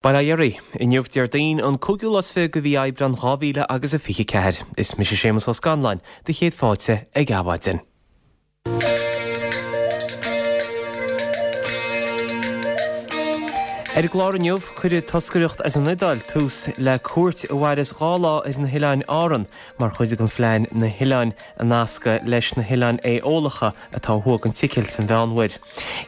Bail ó Dhia oraibh. Inniu Déardaoin, an cúigiú lá is 20 de mhí Aibreán 2000 agus a 24. Is mise Séamus Ó Scanláin, do chéad fáilte ag Adhmhaidin. Ar an gclár inniu, cuirfidh toscaireacht as an Iodáil tús le cuairt a mhairfeas 2 lá ar na hOileáin Árann mar chuid den phlean na hoileáin a nascadh leis na hOileáin Aeólacha atá ó thuaidh den tSicil san Mheánmhuir.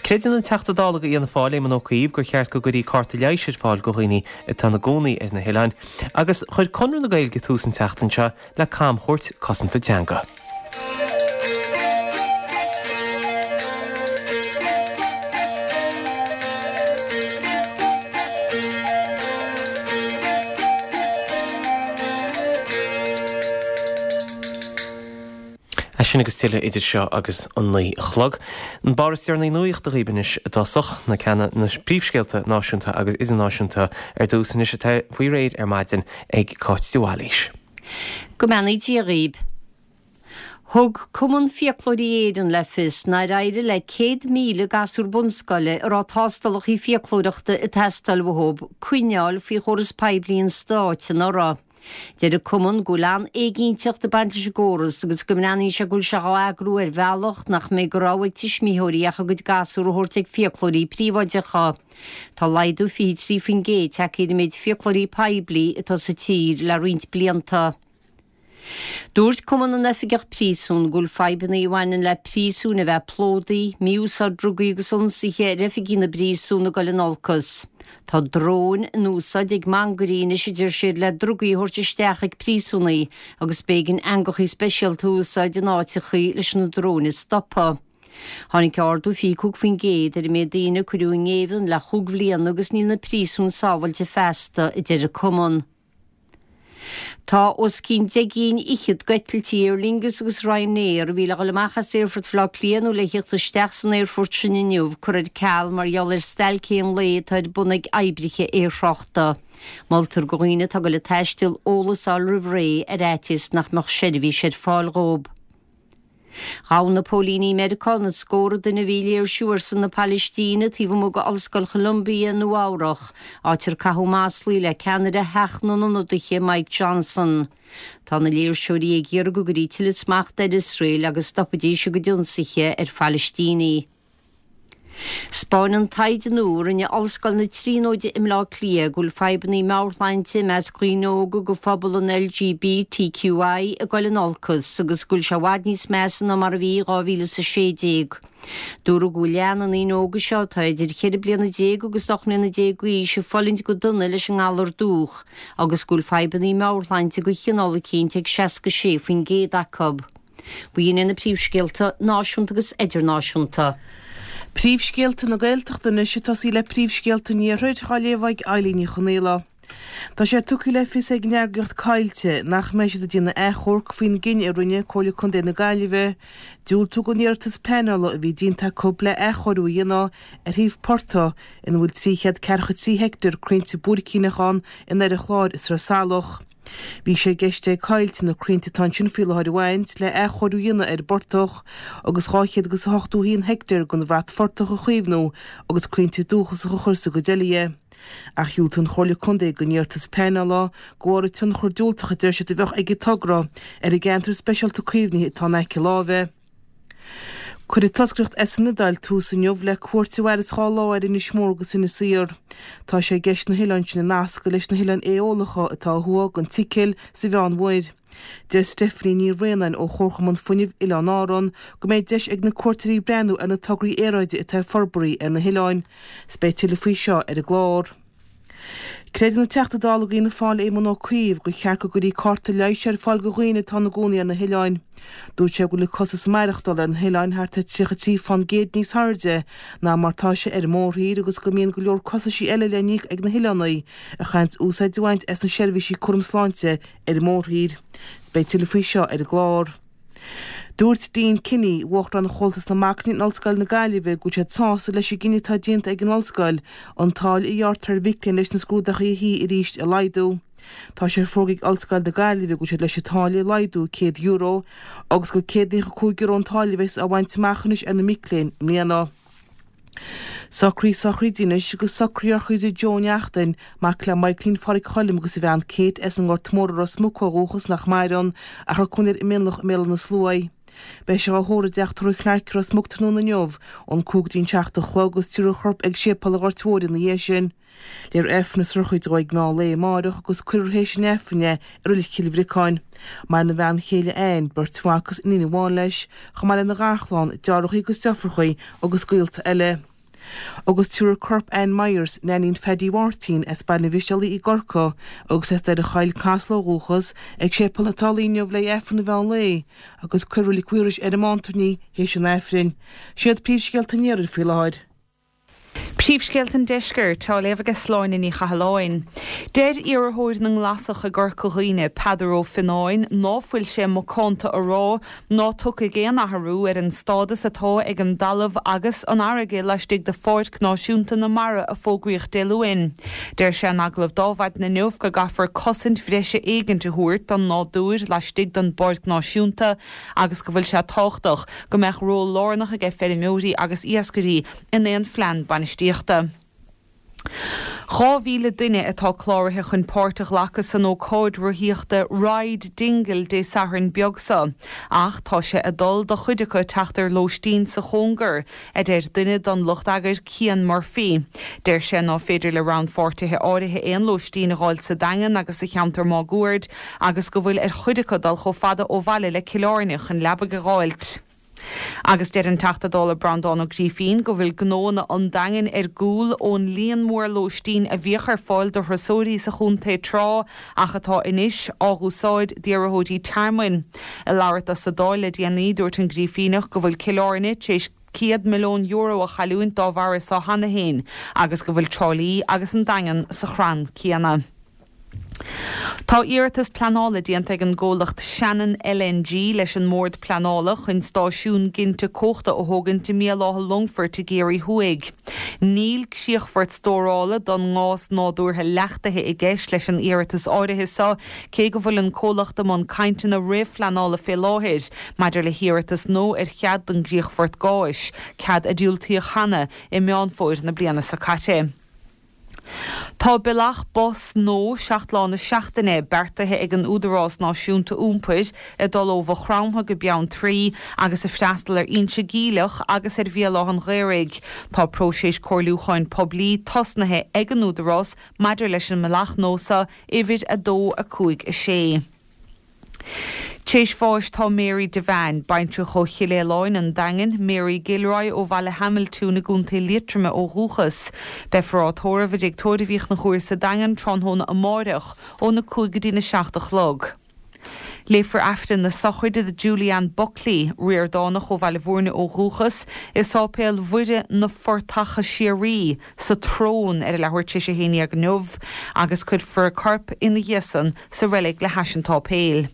Creideann an Teachta Dála do Fhianna Fáil, Éamon Ó Cuív, gur cheart go gcuirfí cárta leighis ar fáil do dhaoine atá ina gcónaí ar na hoileáin, agus chuir Conradh na Gaeilge tús an tseachtain seo le camchuairt cosanta teanga. É sin agus tuilleadh idir seo agus an 9 a chlog. An barr is deireanaí nuachta dhaoibh anois i dtosach, na ceanna na príomhscéalta náisiúnta agus idirnáisiúnta ar dtús anois atá faoi réir ar maidin ag Cáit de Bhailís. Go mbeannaí Dia dhaoib. Thug Cumann Fiaclóirí Éireann le fios nár éirigh le 100,000 gasúr bunscoile a raibh tástálacha fiaclóireachta ag teastáil uathu coinneáil faoi chóras poiblí an stáit anuraidh. Deir an Cumann go bhfuil an-éiginnteacht ag baint leis an gcóras agus go mbreathnaíonn sé go bhfuil sé dhá eagrú ar bhealach nach mbeidh de rogha ag tuismitheoirí ach a gcuid gasúr a thabhairt ag fiaclóirí príobháideacha. Tá laghdú 23% tagtha ar an méid fiaclóirí poiblí atá sa tír le roinnt blianta. Dúirt Cumann na nOifigeach Príosún go bhfuil fadhbanna a bhaineann le príosúin a bheith plódaithe, mí-úsáid drugaí agus ionsaithe ar oifigigh na bpríosún ag dul in olcas. Tá dróin in úsáid ag mangairí anois a deir siad le drugaí a thabhairt isteach ag príosúnaigh agus b'éigean eangachaí speisialta a úsáid in áiteachaí leis na dróin a stopadh. Tháinig ardú 25% ar an méid daoine a cuireadh i ngéibheann le chúig bhliana agus níl na príosúin sábhailte feasta, a deir an Cumann. Tá os cionn deich gcinn fhichead d'eitiltí Aer Lingus agus Ryanair a bhí le dhul amach as Aerfort Bhaile Átha Cliath nó le thíocht isteach san aerfort sin inniu curtha ar ceal mar gheall ar stailc aon lae atá ar bun ag oibrithe aerthráchta. Moltar do dhaoine atá ag dul ag taisteal eolas a fháil roimh ré ar fhaitíos nach mbeadh seirbhís ar fáil dhóibh. Ghabh na póilíní i Meiriceá na scórtha duine a bhí ag léirsiú ar son na Palaistíne taobh amuigh d'Ollscoil Cholumbia i Nua-Eabhrac, áit ar caitheadh maslaí le ceannaire Theach na nIonadaithe Mike Johnson. Tá na léirseoirí ag iarraidh go gcuirfí tuilleadh smachta ar Iosrael agus stopfaidís a gcuid ionsaithe ar Phalaistínigh. 'Spáineann taighde nua a rinne Ollscoil na Tríonóide i mBleá Cliath go bhfuil fadhbanna meabhairshláinte i measc dhaoine óga de phobal an LGBTQI ag dul in olcas agus go bhfuil sé i bhfad níos measa ná mar a bhí i 2016. Dúradh go bhfuil leath na ndaoine óga seo atá idir 14 bliana agus 18 mbliana d'aois ag fulaingt go dona leis an ngalar dúch agus go bhfuil fadhbanna meabhairshláinte de chineál eicínt ag 66% acu. B'in iad na príomhscéalta náisiúnta agus idirnáisiúnta. Príomhscéalta na Gaeltachta anois ag tosaí le príomhscéalta an Iarthair, á léamh ag Eilín Ní Chonaola. Tá sé tugtha le fios ag an eagraíocht Coillte nach mbeidh siad ag déanamh achomharc faoin gcinneadh a rinne Comhairle Contae na Gaillimhe diúltú don iarratas pleanála a bhí déanta acu le athchóiriú a dhéanamh ar shuíomh portaigh ina bhfuil 343 heicteár crainnte buaircíneach ann in Doire Chláir i Sraith Salach. Bhí sé i gceist ag Coillte na crainnte atá ansin faoi láthair a bhaint le athchóiriú a dhéanamh ar an bportach agus 281 heicteár den bhratphortach a chaomhnú agus crainnte dúchasacha a chur sa gcuid eile dhe. Ach dhiúltaigh an Chomhairle Contae don iarratas pleanála de bharr an tionchar diúltach a deir siad a bheadh ag an togra ar an gceantar speisialta caomhnaithe atá in aice láimhe. Cuirfidh toscaireacht as an Iodáil tús inniu le cuairt a mhairfeas 2 lá ar Inis Mór agus Inis Oírr. Tá sé i gceist na hoileáin sin a nascadh leis na hOileáin Aeólacha atá ó thuaidh den tSicil sa Mheánmhuir. Deir Stephanie Ní Bhraonáin ó Chomharchumann Fuinnimh Oileáin Árann go mbeidh deis ag na cuairteoirí breathnú ar na tograí aeráide atá ag forbartha ar na hoileáin. 'S beidh tuilleadh faoi seo ar an gclár. Creideann an Teachta Dála d'Fhianna Fáil Éamon Ó Cuív gur cheart go gcuirfí cárta leighis ar fáil do dhaoine atá ina gcónaí ar na hoileáin. Dúirt sé go bhfuil an costas maireachtála ar na hoileáin thart ar 33% níos airde ná mar tá sé ar an mórthír agus go mbíonn go leor costaisí eile le n-íoc ag na hoileánaigh a chaitheanns úsáid a bhaint as na seirbhísí cúram sláinte ar an mórthír. Beidh tuilleadh faoi seo ar an gclár. Dúirt Dean Kinney, Uachtarán Chomhaltas na Mac Léinn in Ollscoil na Gaillimhe, go bhfuil siad sásta leis an gcinneadh atá déanta ag an Ollscoil an táille a ghearrtar ar mhic léinn leis na scrúduithe a shuí arís a laghdú. Tá sé fógartha ag Ollscoil na Gaillimhe go bhfuil siad leis an táille a laghdú €100 agus gur €195 an táille a bheas á bhaint amach anois ar na mic léinn i mbliana. Socruithe sochraide anois agus socruithe ar chuid de Joe Neachtain, mac le Michaelín Phádraic Choilm agus a bhean Kate as an nGort Mór i Ros Muc ó dhúchas nach maireann ach a raibh cónaí air i Mionlach i mBéal Átha na Sluaighe. Beidh sé á thórramh i dTeach Tórraimh Chlarke i Ros Muc tráthnóna inniu ón 5 go dtí an 7 a chlog agus tabharfar a chorp ag séipéal an Ghoirt Mhóir ina dhiaidh sin. Léifear Aifreann na sochraide dhó ag meán lae amáireach agus cuirfear théis an Aifrinn é i Reilig Chill Bhriocáin. Maireann a bhean chéile Ann, beirt mhac agus iníon amháin leis, chomh maith lena gharchlann, deartháireacha agus deirfiúracha agus gaolta eile. Agus tabharfar corp Ann Myers, Neainín Phaddy Mháirtín, as Baile an Mhisealaigh i gCorcaigh agus as Doire Choill, Casla ó dhúchas, ag Séipéal na Tulaí inniu le haghaidh Aifreann an mheán lae agus cuirfear i Reilig Mhaorais ar an mBántairní théis an Aifrinn. Siad príomhscéalta an Iarthair faoi láthair. Príomhscéalta an Deiscirt, á léamh aige Sláine Ní Chathalláin. Deir iarrthóir na nGlasach i gCorca Dhuibhne, Peadar Ó Fionnáin, ná fuil sé macánta a rá ná tiocfaidh aon athrú ar an stádas atá ag an dtalamh agus an fharraige laistigh de Pháirc Náisiúnta na Mara a fógraíodh Dé Luain. Deir sé in agallamh d'Adhmhaidin inniu go gcaithfear cosaint bhreise éigint a thabhairt don nádúr laistigh den bPáirc Náisiúnta agus go bhfuil sé tábhachtach go mbeadh ról lárnach aige feirmeoirí agus iascairí in aon phlean bainistíochta. 2,000 duine atá cláraithe chun páirt a ghlacadh san ócáid rothaíochta Ride Dingle Dé Sathairn beag seo, ach tá sé ag dul do chuid acu teacht ar lóistín sa chóngar, a deir duine den lucht eagair, Cian Murphy. Deir sé ná féidir le rannpháirtithe áirithe aon lóistín a dh'fháil sa Daingean agus sa cheantar máguaird agus go bhfuil ar chuid acu dul chomh fada ó bhaile le Cill Airne chun leabaidh a dh'fháilt. Agus deir an Teachta Dála Breandán Ó Grífín go bhfuil gnóanna an Daingin ar gcúl ón líon mór lóistín a bhíodh ar fáil do thurasóirí sa chontae tráth ach atá anois á dh'úsáid d'iarrthóirí tearmainn. Ag labhairt dó sa Dáil le déanaí dúirt an Grífíneach go bhfuil Cill Airne tar éis €100 milliún a chailliúint dá bharra seo cheana féin agus go bhfuil Trá Lí agus an Daingean sa chrann céanna. Tá iarratas pleanála déanta ag an gcomhlacht Shannon LNG leis an mBord Pleanála chun stáisiún ginte cumhachta a thógaint i mBéal Átha Longfoirt i gCiarraí Thuaidh. Níl críochfort stórála don ngás nádúrtha leachtaithe i gceist leis an iarratas áirithe seo, cé go bhfuil an comhlacht i mbun cainteanna réamhphleanála fé láthair maidir le hiarratas nua ar chead don gcríochfort gáis, cead a diúltaíodh cheana i Meán Fómhair na bliana seo caite. Tá bealach bus nua, 7 lá na seachtaine, beartaithe ag an Údarás Náisiúnta Iompair ag dul ó Mhaigh Chromtha go Beanntraí agus ag freastal ar Inse Geimhleach agus ar Bhéal Átha an Ghaorthaidh. Tá próiseas comhairliúcháin poiblí tosnaithe ag an Údarás maidir leis an mbealach nua seo, uimhir 2, 5, 6. T'éis bháis tá Mary Devane, baintreach ó Chill Fhaoláin, an Daingean, Mary Gilroy ó Bhaile Haimiltiúin i gContae Liatroma ó dhúchas. Beifear á tórramh i dTigh Tórraimh Uí Chonchúir sa Daingean tráthnóna amáireach óna 5 go dtína 7 a chlog. Léifear Aifreann na sochraide do Julie-Ann Buckley, Ríordánach ó Bhaile Bhúirne ó dhúchas, i Sáipéal Mhuire na Fortacha Síoraí, sa tSrón ar a leathuair tar éis a 11 inniu agus cuirfear a corp ina dhiaidh san sa reilig le hais an tsáipéil.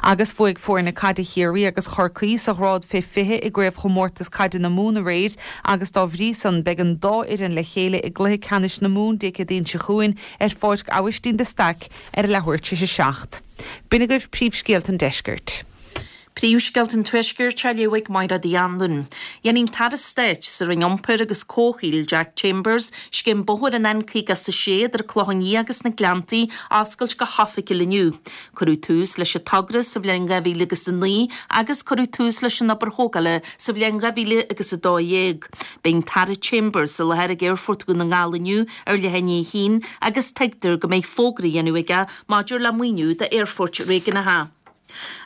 Agus bhuaigh foirne caide Chiarraí agus Chorcaí sa ghrád fé 20 i gCraobhchomórtas Caide na Mumhan aréir agus dá bhrí san beidh an dá fhoireann le chéile i gcluiche ceannais na Mumhan Dé Céadaoin seo chugainn ar Pháirc Aibhistín de Staic ar a leathuair tar éis a 7. B'in agaibh príomhscéalta an deiscirt. Príomhscéalta an Tuaiscirt á léamh ag Máire Uí Anluain. Déanfaidh an tAire Stáit sa Roinn Iompair agus Comhshaoil, Jack Chambers, scéim bóthair an N56 idir an Clochán Liath agus na Gleanntaí a oscailt go hoifigiúil inniu. Cuireadh tús leis an togra sa bhliain 2009 agus cuireadh tús leis an obair thógála sa bhliain 2012. Beidh an tAire Chambers i láthair ag Aerfort Dhún na nGall inniu ar leath i ndiaidh a haon agus tuigtear go mbeidh fógra á dhéanamh aige maidir le maoiniú d'aerfoirt réigiúnacha.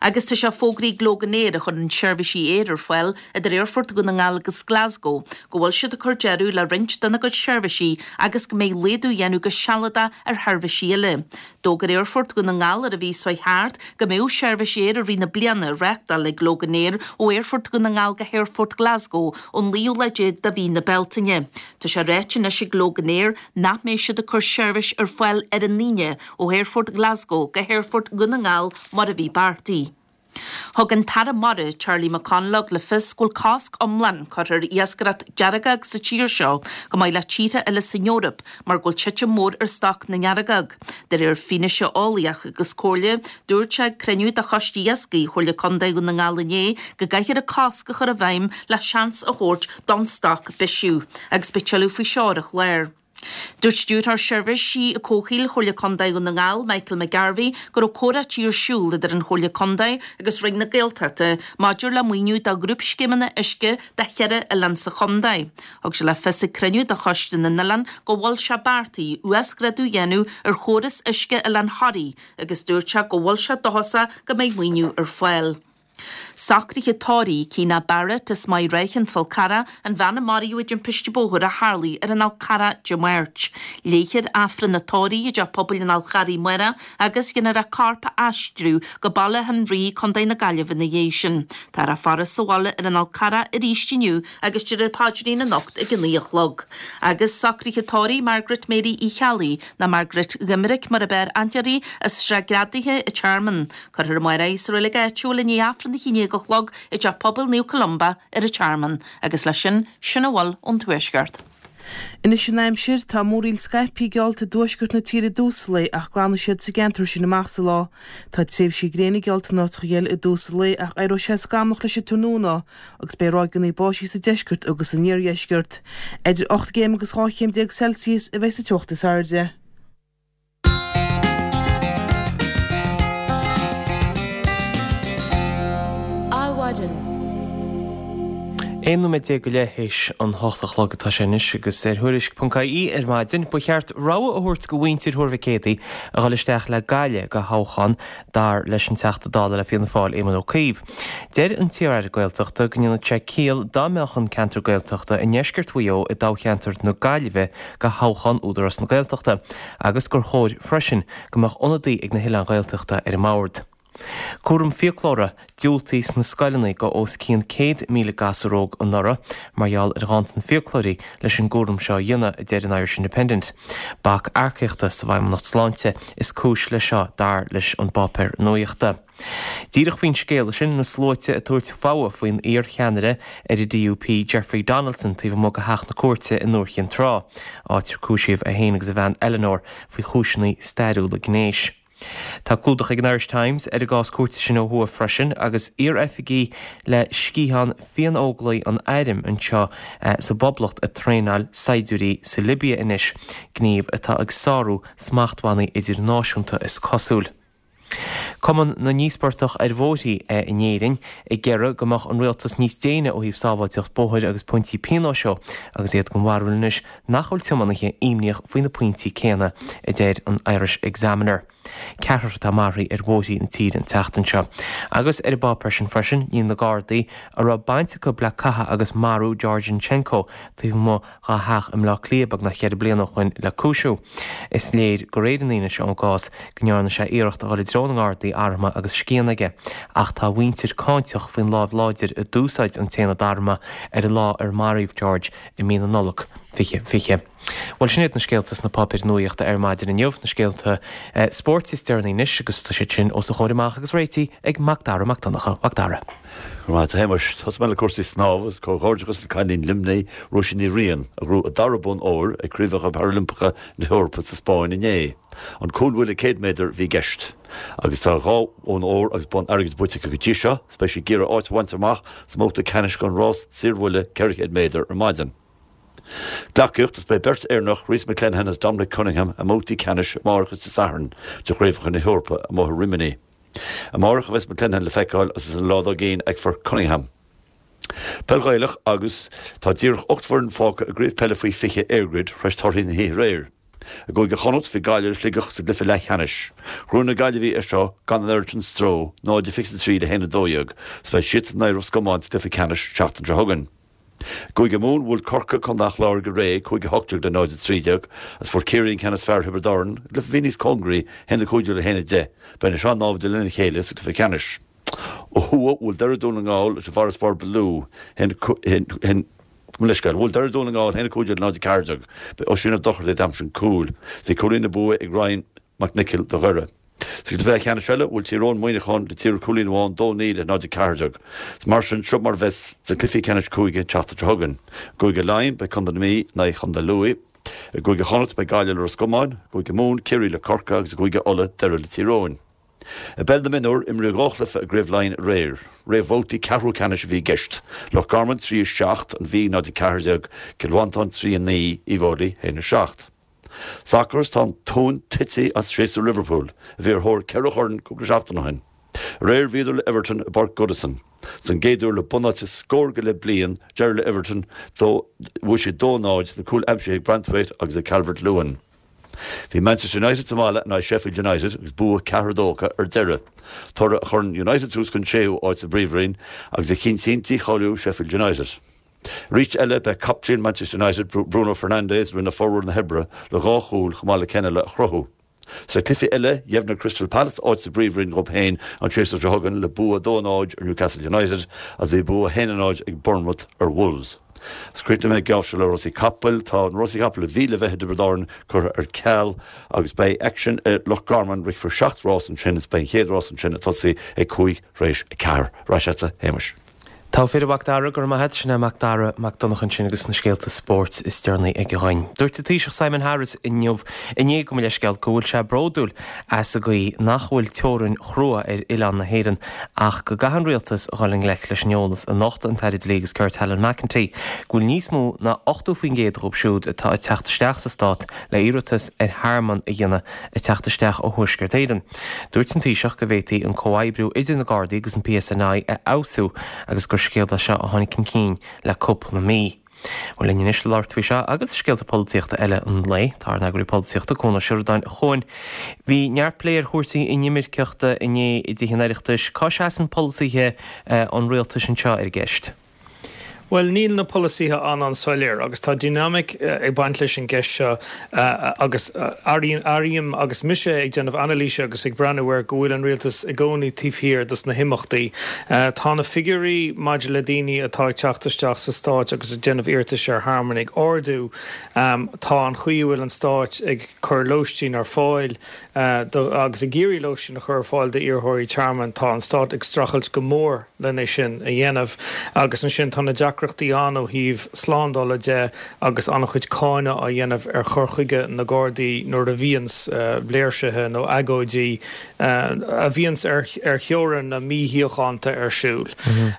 Agus tá sé fógraithe ag Loganair, a chuireann seirbhísí aeir ar fáil idir Aerfort Dhún na nGall agus Glasgow, go bhfuil siad ag cur deireadh le roinnt dena gcuid seirbhísí agus go mbeidh laghdú á dhéanamh go sealadach ar sheirbhísí eile. D'fhógair Aerfort Dhún na nGall ar an mhí seo thart go mbeadh seirbhís aeir i rith na bliana á reáchtáil ag Loganair ó Aerfort Dhún na nGall go hAerfort Glasgow ón naoú lá déag de mhí na Bealtaine. Tá sé ráite anois ag Loganair nach mbeidh siad ag cur seirbhís ar fáil ar an Aoine ó Aerfort Glasgow go hAerfort Dhún na nGall mar a bhí beartaithe. Thug an tAire Mara, Charlie McConalogue le fios go bhfuil cosc iomlán curtha ar iascaireacht deargóg sa tír seo, chomh maith le tíortha eile san Eoraip, mar go bhfuil titim mhór ar stoc na ndeargóg. De réir fianaise eolaíoch agus comhairle, dúirt sé ag cruinniú de Choiste Iascaigh Chomhairle Contae Dhún na nGall inné go gcaithfear an cosc a chur i bhfeidhm le seans a thabhairt don stoc bisiú. Agus beidh tuilleadh faoi seo ar an chlár. Dúirt Stiúrthóir Seirbhísí Comhshaoil Chomhairle Contae Dhún na nGall, Michael McGarvey, go raibh comhráití ar siúl idir an Chomhairle Contae agus Roinn na Gaeltachta maidir le maoiniú do ghrúpscéimeanna uisce do cheithre oileán sa chontae. Thug sé le fios ag cruinniú de Choiste na nOileán go bhfuil sé beartaithe uasghrádú a dhéanamh ar chóras uisce Oileán Thoraí agus dúirt sé go bhfuil sé dóchasach go mbeidh maoiniú ar fáil. Socruithe tórraimh Keena Barrett as Maigh Ráithe, An Fál Carrach, an bhean a maraíodh i dtimpiste bóthair a tharlaigh ar an Fhál Carrach Dé Máirt. Léifear Aifreann an tórraimh i dTeach Pobail an Fháil Charraigh amárach agus déanfar a corp a aistriú go Baile Átha an Rí, Contae na Gaillimhe ina dhiaidh sin. Táthar á faire sa bhaile ar an Fhál Carrach arís inniu agus déarfar paidrín anocht ag a 9 a chlog. Agus socruithe tórraimh Margaret Mary Uí Cheallaigh, nó Margaret Dhoimiric mar ab fhearr aithne uirthi, as Srath Greadaithe, an Tearmann. Cuirfear amárach í sa reilig áitiúil i ndiaidh Aifreann a 11 a chlog i dTeach Pobail Naomh Columba ar an Tearmann. Agus leis sin, sin a bhfuil ón Tuaisceart. Anois an aimsir, tá múraíl scaipthe geallta i dtuaisceart na tíre i dtús an lae ach glanfaidh siad sa gceantar sin amach sa lá. Tá tréimhsí gréine geallta in áiteacha eile i dtús an lae ach éireoidh sé scamallach leis an tráthnóna agus beidh ráigeanna báistí sa deisceart agus san iardheisceart. Idir 8 gcéim agus 12 chéim Celsius a bheidh sa teocht is airde. Adhmhaidin. 11 nóiméad go leith théis an hocht a chlog atá sé anois agus ar Thuairisc.ie ar maidin, ba cheart rogha a thabhairt go mhuintir Thuar Mhic Éadaigh a dhul isteach le Gaillimh go thoghchán dar leis an Teachta Dála le Fianna Fáil Éamon Ó Cuív. Deir an t-iar-aire Gaeltachta go ndéanfadh sé ciall dá mbeadh an ceantar Gaeltachta i ndeisceart Mhaigh Eo i dtoghcheantar na Gaillimhe go thoghchán Údarás na Gaeltachta agus gur chóir freisin go mbeadh ionadaí ag na hoileáin Ghaeltachta ar an mbord. Cúram fiaclóra diúltaithe sna scoileanna go os cionn 100,000 gasúr óg anuraidh mar gheall ar ghanntan fiaclóirí leis an gcúram seo a dhéanamh, a deir an Irish Independent. Bac earcaíochta sa bhFeidhmeannacht Sláinte is cúis leis seo dar leis an bpáipéar nuaíochta. Díreach faoin scéal sin, na sluaite ag tabhairt fogha faoin iar-cheannaire ar an DUP Jeffrey Donaldson taobh amuigh de theach na cúirte i nDúiche Chinn Trá, áit ar cúisíodh é féin agus a bhean Eleanor faoi chúiseanna stairiúla gnéis. Tá clúdach ag an Irish Times ar an gcás cúirte sin ó thuaidh freisin agus iar-oifigigh le sciathán Fiann-Óglaigh an Airm anseo sa bPoblacht ag traenáil saighdiúirí sa Libia anois, gníomh atá ag sárú smachtbhannaí idirnáisiúnta is cosúil. Cumann na nÍospartach ar Bhóithre in Éirinn ag iarraidh go mbeadh an rialtas níos déine ó thaobh sábháilteacht bóthair agus pointí pionóis ó agus iad den bharúil anois nach bhfuil tiománaithe imníoch faoi na pointí céanna, a deir an Irish Examiner. Ceathrar atá maraithe ar bhóithre na tíre an tseachtain seo. Agus ar an bpáipéar sin freisin, níl na Gardaí a raibh baint acu le cathadh agus marú George Nchenko taobh amuigh dá theach i mBleá Cliath beagnach cheithre bliana ó shoin le cúisiú. Is léir gur réir an fhianaise ón gcás go ndearna sé iarracht a dhul i dtreo na nGardaí armtha agus scian aige, ach tá a mhuintir cáinteach faoin láimh láidir a d'úsáid an t-aonad armtha ar an lá ar maraíodh George i mí na Nollag 2020. Bhuel, sin iad na scéalta sna páipéir nuaíochta ar maidin inniu, na scéalta spóirt is deireanaí anois agus tá siad sin os a chomhair amach agus réitithe ag Mac Dara Mac Donncha. Mac Dara. Go raibh maith agat, a Shéamais. Tosóidh mé le cúrsaí snámha agus comhghairdeachas le cailín Luimnigh, Róisín Ní Riain, a ghnóthaigh a dara bonn óir ag Craobhacha Parailimpeacha na hEorpa sa Spáinn inné. An cúlbhuille 100 méadar a bhí i gceist. Agus tá dhá bhonn óir agus bonn airgid bainte aici go dtí seo, is beidh sí ag iarraidh áit a bhaint amach sa mbabhta ceannais don rás saorbhuille 400 méadar ar maidin. Gleacaíocht, is beidh beirt Éireannach, Rhys McClenaghan agus Dominic Cunningham, i mbabhtaí ceannais amárach is Dé Sathairn de Chraobhacha na hEorpa amuigh i Rimini. Amárach a bheas McClenaghan le feiceáil agus an lá dár gcionn feicfear Cunningham. Peil Ghaelach agus tá díreach 8 bhfoireann fágtha i gCraobh Peile Faoi 20 EirGrid th'réis torthaí na hoíche aréir. I gCúige Chonnacht bhí Gaillimh le Sligeach sa gcluiche leathcheannais. Ghnóthaigh na Gaillimhigh é seo gan an oiread sin stró, 0-23 le 1-12, 's beidh siadsan in aghaidh Ros Comáin sa gcluiche ceannais seachtain seo chugainn. I gCúige Mumhan bhuail Corcaigh Contae an Chláir go réidh, 5-18 le 0-13, agus fuair Ciarraí an ceann is fearr ar Thiobraid Árann i gcluiche a bhí níos cóngaraí, 1-15 le 1-10. Beidh na sean-naimhde lena chéile sa gcluiche ceannais. Ó thuaidh, bhuail Doire Dún na nGall leis an bhfarasbarr ba lú, mo leithscéal, bhuail Doire Dún na nGall 1-15 le 0-14. B'é Oisín Ó Dochartaigh a d'aimsigh an cúl. Bhí cúilín an bua ag Ryan McNicholl do Dhoire. Sa gcluiche leathcheannais eile, bhuail Tír Eoghain Muineachán le tír cúilín amháin, 2, 9 le 0, 14. Mar sin, seo mar a bheas na cluichí ceannais cúige an tseachtain seo chugainn. I gCúige Laighean, beidh Contae na Mí in aghaidh Chontae Lú. I gCúige Chonnacht, beidh Gaillimh le Ros Comáin, i gCúige Mumhan, Ciarraí le Corcaigh agus i gCúige Uladh, Doire le Tír Eoghain. I bpeil na mionúr, imríodh 2 chluiche i gCraobh Laighean aréir. Réamhbhabhtaí ceathrú ceannais a bhí i gceist. Loch Garman 3, 7, An Mhí 0, 14, Cill Mhantáin 3, 9, Uíbh Fhailí 1, 7. Sacar Tá an tóin tite as séasúr Liverpool, a bhí ar thóir ceithre chorn cúpla seachtain ó shin. Aréir bhíodar le Everton i bPáirc Goodison. Don gcéad uair le bunáite scór go leith bliain, d'éirigh le Everton, bhuaigh siad 2, 0, na cúil aimsithe ag Branthwaite agus ag Calvert-Lewin. Bhí Manchester United sa mbaile in aghaidh Sheffield United agus bua 4, 2 acu ar deireadh, toradh a chuireann United suas chun séú áit sa bPríomhroinn agus a chinntíonn dícháiliú Sheffield United. Arís eile, b'é captaen Manchester United, Bruno Fernandes, a rinne formhór na hoibre le dhá chúl chomh maith le ceann eile a chruthú. Sna cluichí eile, dheimhnigh Crystal Palace áit sa bPríomhroinn dhóibh féin an séasúr seo chugainn le bua 2, 0 ar Newcastle United agus bhí bua 1, 0 ag Bournemouth ar Wolves. Agus críochnóidh mé an geábh seo le rásaí capaill. Tá na rásaí capaill a bhí le bheith i dTiobraid Árann curtha ar ceal agus beidh aicsean i Loch Garman, rithfear seacht rás ansin agus beidh an chéad rás ansin ag tosaí ag cúig tar éis a ceathair. Ar ais agatsa, a Shéamais. Togha fir, a Mhac Dara, go raibh maith agat. Sin é Mac Dara Mac Donncha ansin agus na scéalta spóirt is deireanaí aige dhuinn. Dúirt an Taoiseach Simon Harris inniu, inné gabh mo leithscéal, go bhfuil sé bródúil as an gcaoi nach bhfuil teorainn chrua ar oileán na hÉireann ach go gcaithfidh an rialtas a dhul i ngleic leis an eolas a nocht an tAire Dlí agus Cirt Helen McEntee go bhfuil níos mó ná 80% dhóibh siúd atá ag teacht isteach sa stát le iarratas ar thearmann a dhéanamh ag teacht isteach ó Thuaisceart Éireann. Dúirt an Taoiseach go bhféadfaí an comhoibriú idir na Gardaí agus an PSNI a fheabhsú agus gur scéal é seo a tháinig chun cinn le cúpla mí. Bhuel, linn anois le labhairt faoi seo agus scéalta polaitíochta eile an lae, tá ár n-eagraí polaitíochta, Cuan Ó Seireadáin, a Chuain. Bhí neart plé ar chúrsaí inimirceachta inné i dTithe an Oireachtais. Cá seasann polasaithe an rialtais anseo ar an gceist? Bhuel, níl na polasaithe an-an-soiléir agus tá dinimic ag baint leis an gceist seo agus airím agus mise ag déanamh anailíse agus ag breathnú air go bhfuil an rialtas i gcónaí taobh thiar dos na himeachtaí. Tá na figiúirí maidir le daoine atá ag teacht isteach sa Stáit agus ag déanamh iarratais ar thearmann ag ardú. Tá an chaoi a bhfuil an Stáit ag cur lóistín ar fáil agus ag iarraidh lóistín a chur ar fáil d'iarrthóirí tearmainn, tá an Stát ag streachailt go mór len é sin a dhéanamh. Agus ansin tá na deacrachtaí ann ó thaobh slándála de agus an-chuid cáineadh á dhéanamh ar chur chuige na Gardaí nuair a bhíonns léirsithe nó agóidí a bhíonns ar theorainn na míshíochánta ar siúl.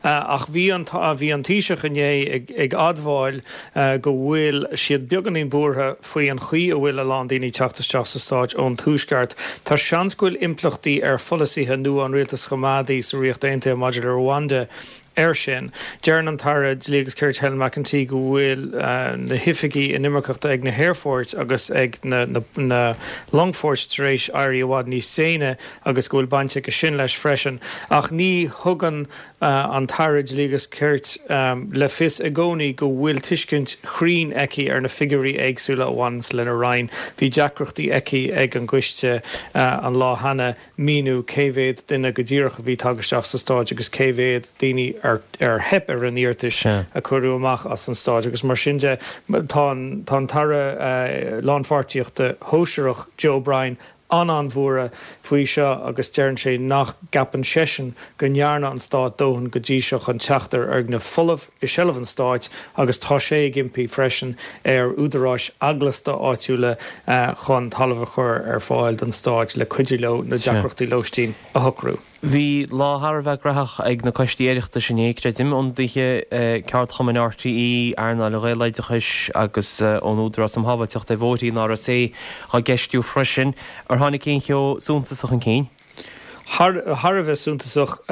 Ach bhí an bhí an Taoiseach inné ag admháil go bhfuil siad beagáinín buartha faoi an chaoi a bhfuil a lán daoine ag teacht isteach sa Stáit ón Tuaisceart. Tá seans go bhfuil impleachtaí ar pholasaithe nua an rialtais choimeádaigh sa Ríocht Aontaithe maidir le Rwanda air sin. Deireann an tAire Dlí agus Cirt Helen McEntee go bhfuil na hoifigigh inimirceachta ag na haerfoirt agus ag na longfoirt tar éis éirí i bhfad níos déine agus go bhfuil baint aige sin leis freisin. Ach ní thugann an tAire Dlí agus Cirt le fios i gcónaí go bhfuil tuiscint chruinn aici ar na figiúirí éagsúla a bhaineanns lena Roinn. Bhí deacrachtaí aici ag an gcoiste an lá cheana míniú cé mhéad duine go díreach a bhí tagtha isteach sa Stáit agus cé mhéad daoine ar theip ar a n-iarratais a cuireadh amach as an Stáit agus mar sin de tá an tAire Lánpháirtíochta Shóisearach Joe O'Brien an-an-bhuartha faoi seo agus deireann sé nach gceapann seisean go ndearna an Stát dóthain go dtí seo chun teacht ar fhoirgneamh folamh i seilbh an Stáit agus tá sé ag impí freisin ar údaráis eaglasta áitiúla chun talamh a chur ar fáil don Stáit le cuidiú leo na deacrachtaí lóistín a shocrú. Bhí lá thar a bheith graitheach ag na coistí Oireachtais inné, creidim, ionadaithe ceardchumainn RTÉ, earnáil an Ghaeloideachais agus ón Údarás um Shábháilteacht ar Bhóithre, an RSA, á gceistiú freisin. Ar tháinig aon cheo suntasach chun cinn? Thar a bheith suntasach.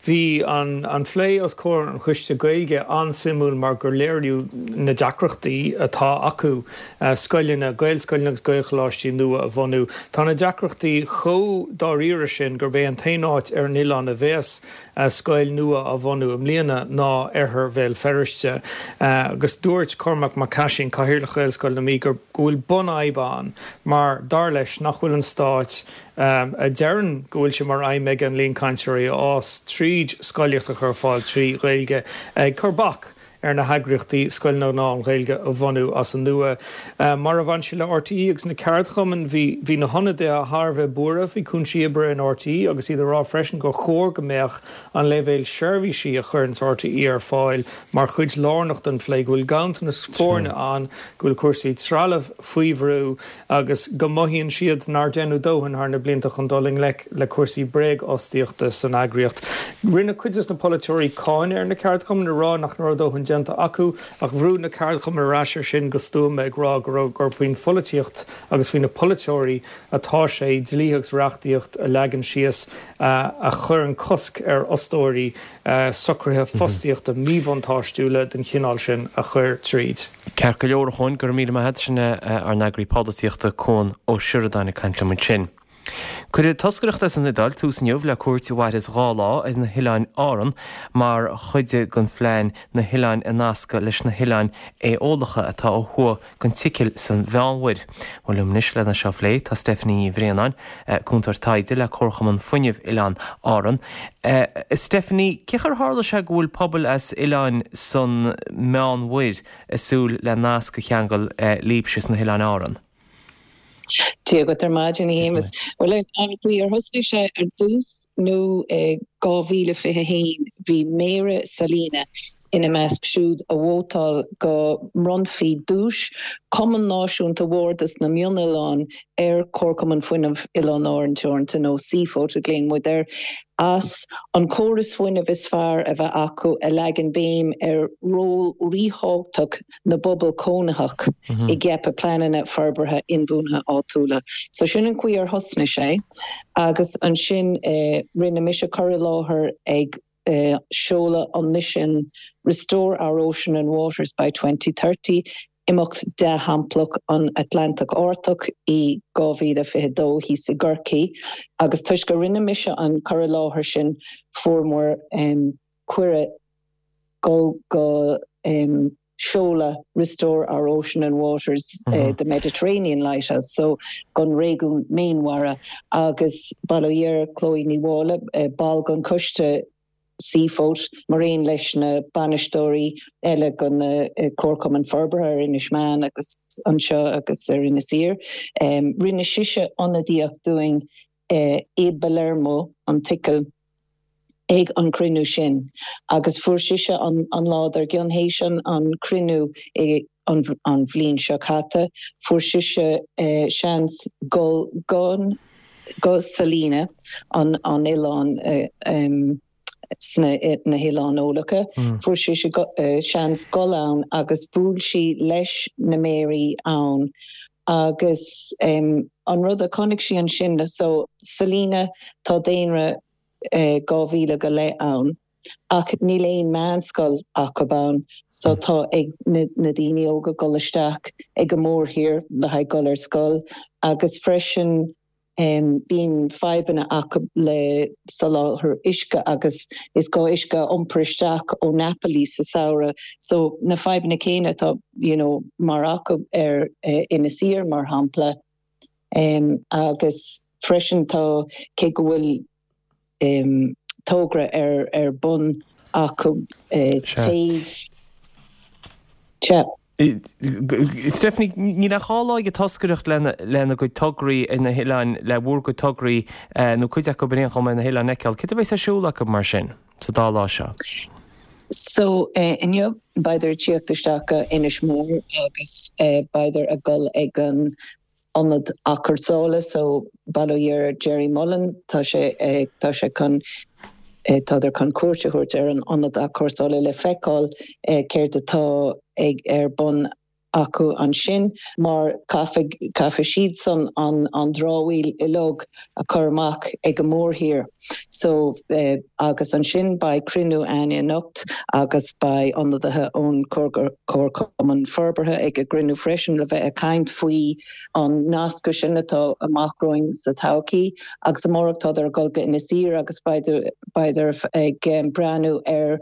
Bhí an phlé os comhair an Choiste Gaeilge an-suimiúil mar gur léiríodh na deacrachtaí atá acu scoileanna, Gaelscoileanna agus Gaelcholáistí nua a bhunú. Tá na deacrachtaí chomh dáiríre sin gurb é an t-aon áit ar an oileán a bheas scoil nua á bhunú i mbliana ná oirthear Bhéal Feirste. Agus dúirt Cormac Mac Caisín, Cathaoirleach Ghaelscoil na Mí, go bhfuil bunfhadhb ann mar, dar leis, nach bhfuil an Stát, a deireann go bhfuil sé mar aidhm aige an líon cainteoirí a fhás tríd scolaíocht a chur ar fáil trí Ghaeilge, ag cur bac. ar na heagraíochtaí scoileanna lán-Ghaeilge a bhunú as an nua. Mar a bhain sé le RTÉ agus na ceardchumainn, bhí bhí na hionadaithe thar a bheith buartha faoi chúinsí oibre in RTÉ agus iad ag rá freisin gur chóir go mbeadh an leibhéal seirbhísí a chuireanns RTÉ ar fáil mar chuid lárnach den phlé, go bhfuil ganntanas foirne ann, go bhfuil cúrsaí trealaimh faoi bhrú agus go mothaíonn siad nár deineadh dóthain thar na blianta chun dul i ngleic le cúrsaí bréagfhostaíochta san eagraíocht. Rinne cuid de na polaiteoirí cáineadh ar na ceardchumainn ag rá nach raibh a ndóthain déanta acu ach bhrúigh na ceardchumainn ar ais air sin go stuama ag rá go raibh gur faoin pholaitíocht agus faoi na polaiteoirí atá sé dlíthe agus reachtaíocht a leagan síos a chuireann cosc ar fhostóirí socruithe fostaíochta míbhuntáistiúla den chineál sin a chur tríd. Ceart go leor, a Chuain, go raibh míle maith agat. Sin ár n-eagraí polaitíochta, Cuan Ó Seireadáin ag caint liom ansin. Cuirfidh toscaireacht as an Iodáil tús inniu le cuairt a mhairfeas 2 lá ar na hOileáin Árann mar chuid den phlean na hoileáin a nascadh leis na hOileáin Aeólacha atá ó thuaidh den tSicil san Mheánmhuir. Bhuel liom anois lena seo a phlé tá Stephanie Ní Bhraonáin, Cúntóir Taighde le Comharchumann Fuinnimh Oileáin Árann. Stephanie, cén chaoi ar tharla sé go bhfuil pobail as oileáin san Meánmhuir ag súil le nasc a cheangal libhse sna hOileáin Árann? Dia dhuit ar maidin, a Shéamus. Bhuel, an chaoi ar thosnaigh sé ar dtús nó i 2021 bhí Méara Salina ina measc siúd a vótáil go mbronnfaí duais Cumann Náisiúnta Bhardas na Mionoileán ar Chomharchumann Fuinnimh Oileáin Árann Teoranta, nó Seafot a ghlaonn muid air, as an chóras fuinnimh is fearr a bheith acu a leagann béim ar ról ríthábhachtach na bpobal cónaitheach i gceapadh pleananna forbartha inbhuanaithe áitiúla. So sin an chaoi ar thosnaigh sé agus ansin rinne mise cur i láthair ag seoladh an misean Restore Our Ocean and Waters by 2030, Imeacht Dea-Shamplach an Atlantach Artach i 2022 thíos i gCorcaigh agus toisc go rinne mise an cur i láthair sin fuair muid cuireadh dul go seoladh Restore Our Ocean and Waters, The Mediterranean Lighthouse, so gon réigiún Méanmhara agus bail ó Dhia ar Chloe Ní Mháille, ball gon choiste Seafot, mar aon leis na bainisteoirí eile gon na Comharchumainn Forbartha ar Inis Meáin agus anseo agus ar Inis Oírr. Rinne sise ionadaíocht dúinn i bPalermo, an tSicil, ag an chruinniú sin agus fuair sise an lá dár gcionn théis an chruinniú i an bhliain seo caite, fuair sise seans dul go go Salina, an oileán sna na hOileáin Eolacha, fuair sise seans dul ann agus bhuail sí leis na méaraí ann Agus an rud a chonaic sí ansin, so Salina, tá daonra 2,000 go leith ann ach níl aon meánscoil acu ann so tá ag na daoine óga dul isteach ag an mórthír le haghaidh dul ar scoil agus freisin Bíonn fadhbanna acu le soláthar uisce agus is gá uisce a iompar isteach ó Napoli sa samhradh. So na fadhbanna céanna atá you know mar acu ar Inis Oírr mar shampla. Agus freisin tá cé go bhfuil togra ar ar bun acu téamh. Sea. Stephanie, níl ach 2 lá ag an toscaireacht lena gcuid tograí ar na hoileáin, le bhur gcuid tograí, nó cuid acu ar aon chuma ar na hoileáin a fheiceáil. Céard a bheas ar siúl acu mar sin sa dá lá seo? So, inniu, beidar ag tíocht isteach go Inis Mór agus beidar ag dul ag an ionad athchúrsála so bail ó Dhia ar Gerry Mullen, tá sé, tá sé chun, tádar chun cuairt a thabhairt ar an ionad athchúrsála le feiceáil céard atá ag, ar bun acu ansin mar caithfidh, caithfidh siadsan an, an dramhaíl uilig a chur amach ag an mórthír. So, agus ansin beidh cruinniú a'ainn anocht agus beidh ionadaithe ón Chomharchumann Forbartha ag an gcruinniú freisin le bheith ag caint faoi an nascadh sin atá amach romhainn sa todhchaí. Agus amárach tádar ag dul go Inis Oírr agus beidar ag breathnú ar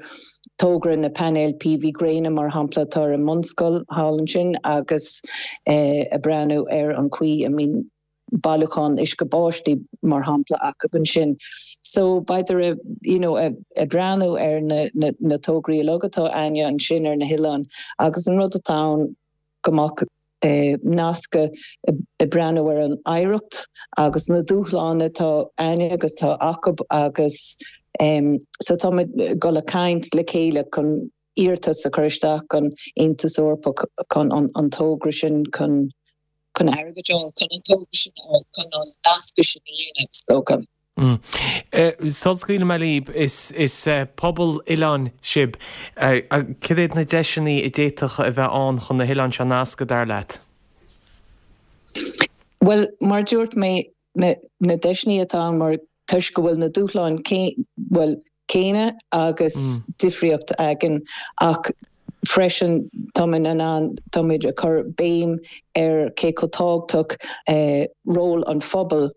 togra na painéil PV gréine mar shampla atá ar an mbunscoil thall ansin agus ag breathnú ar an chaoi a mbíonn. bailiúchán uisce báistí mar shampla acu ansin. So beidh you know ag breathnú ar na na tograí uilig atá a'inne ansin ar na hoileáin agus an rud atá ann go mbeadh nascadh ag breathnú ar an oidhreacht agus na dúshláin atá a'inne agus atá acu agus so táimid ag dul ag caint le chéile chun iarratas a chur isteach don Aontas Eorpach chun an togra sin chun chun airgead a fháil chun an togra sin a fháil chun an nascadh sin a dhéanamh is dócha. Sula scaoilfidh mé libh, is pobal oileáin sibh. Cad iad na deiseanna a d'fhéadfadh a bheith ann chun na hoileáin seo a nascadh, dar leat? Bhuel, mar a dúirt mé, na deiseanna atá ann mar toisc go bhfuil na dúshláin bhuel, céanna agus difríocht againn ach freisin táimid in ann, táimid ag cur béim ar cé chomh tábhachtach ról an phobail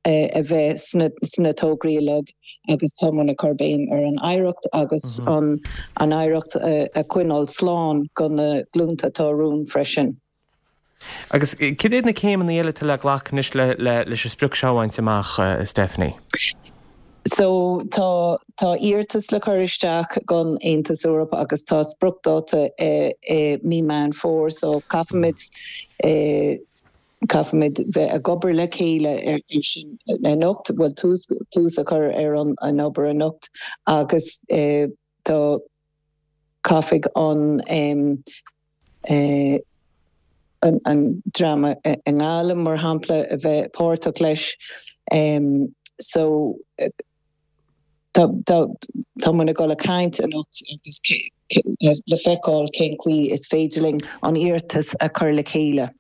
a bheith sna tograí uilig agus táimid ag cur béim ar an oidhreacht agus an oidhreacht a choinneáil slán do na glúnta atá romhainn freisin. Agus cad iad na céimeanna eile atá le glacadh anois leis an sprioc seo a bhaint amach, Stephanie? So tá tá iarratas le cur isteach don Aontas Eorpach agus tá spriocdháta i mí Meán Fómhair so caithfimid caithfimid bheith ag obair le chéile ar sin anocht, bhuel tús tús a chur ar an obair anocht agus tá caithfidh an an dream i nGaillimh, mar shampla, a bheith páirteach leis. So tá tá muid ag dul ag caint anocht agus le feiceáil cén chaoi is féidir linn an iarratas a chur le chéile.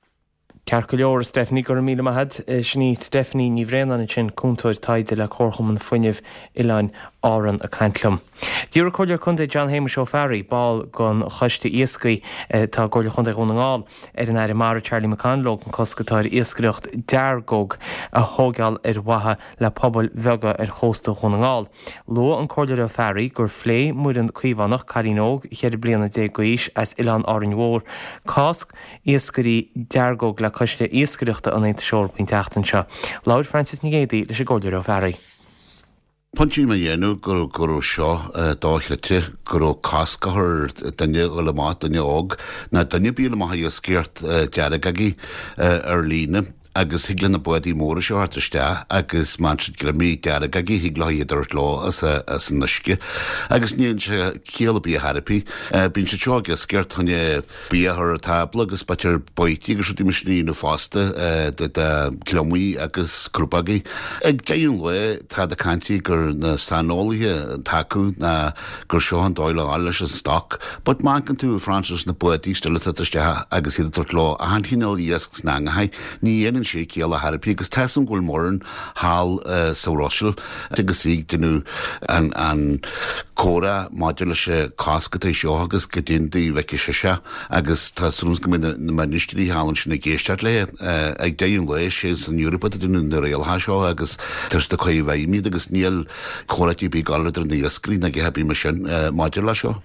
Ceart go leor, a Stephanie, go raibh míle maith agat. Sin í Stephanie Ní Bhraonáin ansin, Cúntóir Taighde le Comharchumann Fuinnimh Oileáin Árann ag caint liom. D'iarr an Comhairleoir Contae John Shéamuis Ó Fearraigh, ball den Choiste Iascaigh atá i gComhairle Chontae Dhún na nGall, ar an Aire Mara Charlie McConalogue an cosc atá ar iascaireacht deargóg a thóigeáil ar mhaithe le pobail bheaga ar chósta Dhún na nGall. Luaigh an Comhairleoir Ó Fearraigh gur phléigh Muireann Caomhánach, cailín óg cheithre bliana déag d'aois as Oileán Árainn Mhór, cás iascairí deargóg le Coiste Iascaireachta an Aontais Eorpaigh an tseachtain seo. Labhair Frances Nic Géadaigh leis an gComhairleoir Ó Fearraigh. Pointe a dhéanamh go go raibh seo dochreidte, go raibh cosc á chur ar duine a dhul amach, duine óg, ná duine ar bith a dhul amach ag iascaireacht deargógaí ar líne. agus thig le na bádaí móra seo theacht isteach agus má fhaigheann siad gliomaigh deargógaí thig leo iad a thabhairt leo as an uisce agus ní dhéanann sé ciall ar bith ar chor ar bith. Bíonn siad seo ag iascaireacht chun bia a chur ar tábla agus b'fhéidir baoití agus rudaí mar sin a dhéanamh fosta de gliomaigh agus crupógaí. Ag deireadh an lae táid ag caint gur na saineolaithe atá acu ná gur seo an dóigh le dhul leis an stoc. But má amharcann tú, Frances, na bádaí still ag teacht isteach agus iad ag tabhairt leo achan chineál iasc sna eangacha, ní dhéanann sé ciall ar chor ar bith agus tá 'fhios a'm go bhfuil Muireann thall sa Bhruiséil agus í ag déanamh an an comhrá maidir leis an cosc atá seo agus goidé an dóigh a bhfeiceann sise agus tá súil agam go mbeidh na ministrí thall ansin ag éisteacht léi. Ag deireadh an lae, sé san Eoraip atá ag déanamh na rialacha seo agus tá siad ag cur i bhfeidhm iad agus níl comhráite ar bith ag dul idir na iascairí ná a dhath ar bith mar sin maidir leis seo.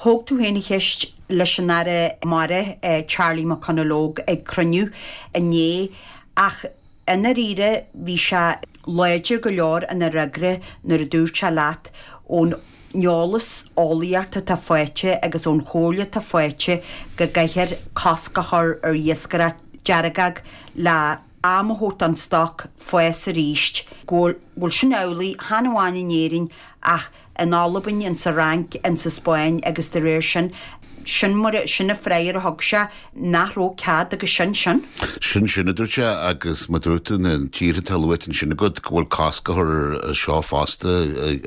Thóg tú féin an cheist leis an Aire Mara, Charlie McConalogue ag cruinniú inné ach i ndáiríre bhí sé láidir go leor ina fhreagra nuair a dúirt sé leat ón eolas eolaíochta atá faighte agus ón chomhairle atá faighte go gcaithfear cosc a chur ar iascaireacht deargóg le am a thabhairt don stoc fás arís, go bhfuil sin amhlaidh, chan amháin in Éirinn ach in Albain, in sa Fhrainc, in sa Spáinn agus de réir sin, sin mar a, sin an freagra a thug sé, nach raibh cead agus sin sin. Sin sin, a dúirt sé, agus mar a dúirt tú, na tíortha atá luaite ansin agat, go bhfuil cosc á chur ar seo fosta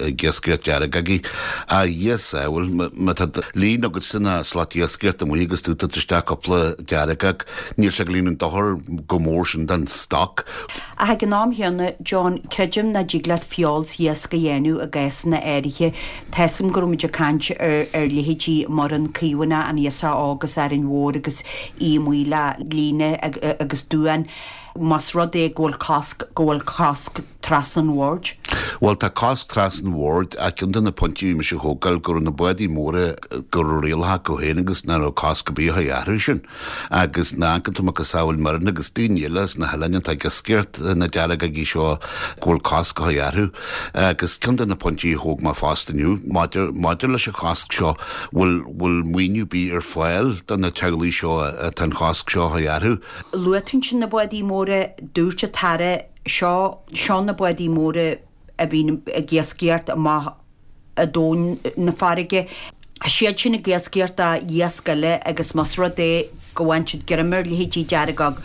ag iascaireacht deargógaí. A Dhia sábháil, má tá líon agatsa ná slat iascaireachta amuigh agus tú ag tabhairt isteach cúpla deargóg, Níl sé ag déanamh dochar chomh mór sin don stoc. Ach ag an am chéanna, John, creidim nach dtig leat feoil 's iasc a dhéanamh i gcásanna áirithe. Tá 'fhios a'm go raibh muid ag caint ar ar leithéidí Muireann Caomhánach, an Iasach Óg as Árainn Mhór agus í amuigh le líne agus duán. Más rud é go bhfuil cosc, go bhfuil cosc trasna an bhoird. Bhuel, tá cosc trasna an bhoird ach ceann de na pointí a bhí mise a thógáil go raibh na bádaí móra go raibh rialacha acu féin agus nach raibh cosc ar bith a chur orthu sin. Agus ná amharcann tú macasamhail Mirren agus daoine eile as na hoileáin atá ag iascaireacht na deargógaí seo go bhfuil cosc a chur orthu. Agus ceann de na pointí a thóg mé fosta inniu maidir maidir leis an chosc seo, bhfuil bhfuil maoiniú ar bith ar fáil do na teaghlaigh seo atá an chosc seo a chur orthu. Luaigh tú ansin na bádaí móra, dúirt an tAire seo, seo na bádaí móra a bhíonn ag iascaireacht amach i dtóin na farraige. Tá siad sin ag iascaireacht d'iasc eile agus más rud é go bhfaigheann siad greim ar leithéidí deargóg,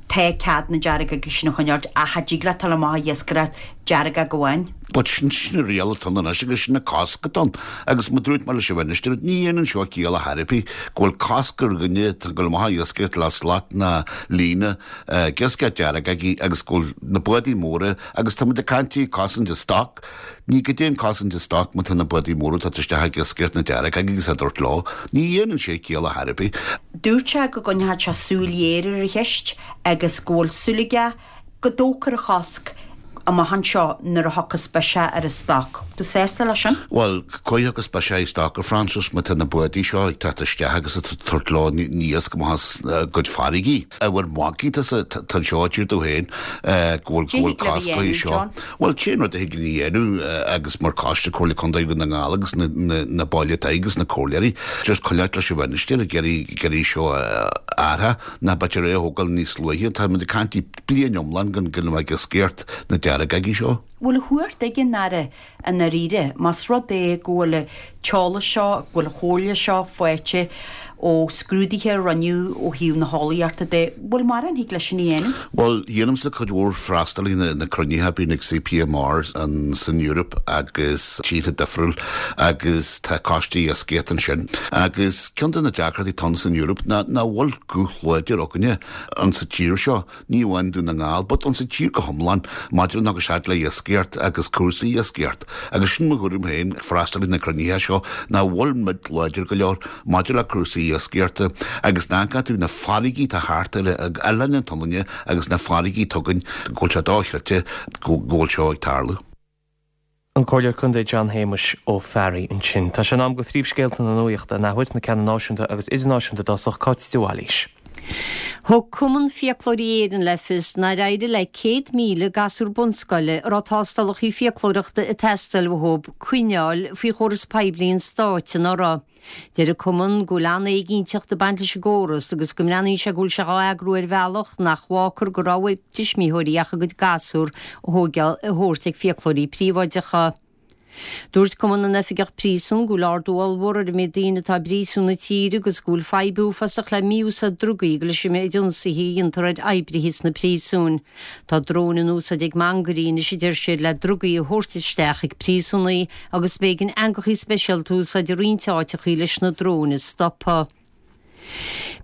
tá cead na deargóga sin a choinneáilt ach cha dtig leat dul amach ag iascaireacht deargóg amháin. But sin sin an riail atá ann anois agus sin an cosc atá ann. Agus mar a dúirt mé leis an Mhinistir, ní dhéanann seo ciall ar chor ar bith go bhfuil cosc ar dhuine atá ag dul amach ag iascaireacht le slat ná líne ag iascaireacht deargógaí agus go bhfuil na bádaí móra agus tá muid ag caint faoi cosaint an stoc, ní goidé an cosaint an stoc má tá na bádaí móra ag teacht isteach ag iascaireacht na deargógaí agus á dtabhairt leo. Ní dhéanann sé ciall ar chor ar bith. Dúirt sé go gcoinneoidh sé súil ghéar ar an cheist agus go bhfuil súil aige go dtógfar an chosc amach anseo nuair a thiocfas biseach ar an stoc. Tú sásta leis sin? Bhuel, cá thiocfas biseach ar stoc, a Francis, má tá na bádaí seo ag teacht isteach agus ag tabhairt leo an iasc amach as a gcuid farraigí. Ábhar magaidh atá anseo, a deir tú féin, go bhfuil go bhfuil cosc á seo. Bhuel, cén rud a thig linn a dhéanamh agus mar Choiste Comhairle Contae Dhún na nGall agus na baill atá agus na comhairleoirí, just coinneáilt leis an Mhinistir ag iarraidh ag iarraidh seo a athrú, ná b'fhéidir é a thógáil níos luaithe. Tá muid ag caint faoi bliain iomlán gan gan a bheith ag iascaireacht na deargógaí seo. Bhfuil a chumhacht ag an Aire i ndáiríre, más rud é go bhfuil an t-eolas seo, go bhfuil an chomhairle seo faighte ó scrúduithe a rinneadh ó thaobh na heolaíochta de, bhfuil mórán a thig leis sin a dhéanamh? Bhuel, dhéanaimse cuid mhór freastal ar na cruinnithe a bíonn ag CPMR san Eoraip agus tíortha difriúil agus tá coistí iascaireachta ansin. Agus ceann de na deacrachtaí atá ann san Eoraip ná nach bhfuil guth láidir againne an sa tír seo. ní amháin Dún na nGall, but an sa tír go hiomlán, maidir le agus le iascaireacht agus cúrsaí iascaireacht. Agus sin mo thuairim féin, ag freastal ar na cruinnithe seo, nach bhfuil muid láidir go leor maidir le cúrsaí iascaireachta agus nach gcaithfidh na farraigí atá thart ar Oileán na Sionainne agus na farraigí atá againn, go bhfuil sé dochreidte go bhfuil seo ag tarlú. An Comhairleoir Contae John Shéamuis Ó Fearraigh ansin. Tá sé in am do phríomhscéalta na nuachta an athuair, na ceanna náisiúnta agus idirnáisiúnta i dtosach, Cáit de Bhailís. Thug Cumann Fiaclóirí Éireann le fios nár éirigh le 100,000 gasúr bunscoile a raibh tástálacha fiaclóireachta ag teastáil uathu coinneáil faoi chóras poiblí an stáit anuraidh. Deir an Cumann go bhfuil an-éiginnteacht ag baint leis an gcóras agus go mbreathnaíonn sé go bhfuil sé dhá eagrú ar bhealach nach bhfágfar de rogha ag tuismitheoirí ach a gcuid gasúr a thabhairt ag fiaclóirí príobháideacha. Dúirt Cumann na nOifigeach Príosún go bhfuil ardú ollmhór ar an méid daoine atá i bpríosúin na tíre agus go bhfuil fadhb uafásach le mí-úsáid drugaí agus leis an méid ionsaithe a dhéantar ar oibrithe sna príosúin. Tá dróin in úsáid ag mangairí anois a deir siad le drugaí a thabhairt isteach chuig príosúnaigh agus b'éigean eangachaí speisialta a úsáid i roinnt áiteachaí leis na dróin a stopadh.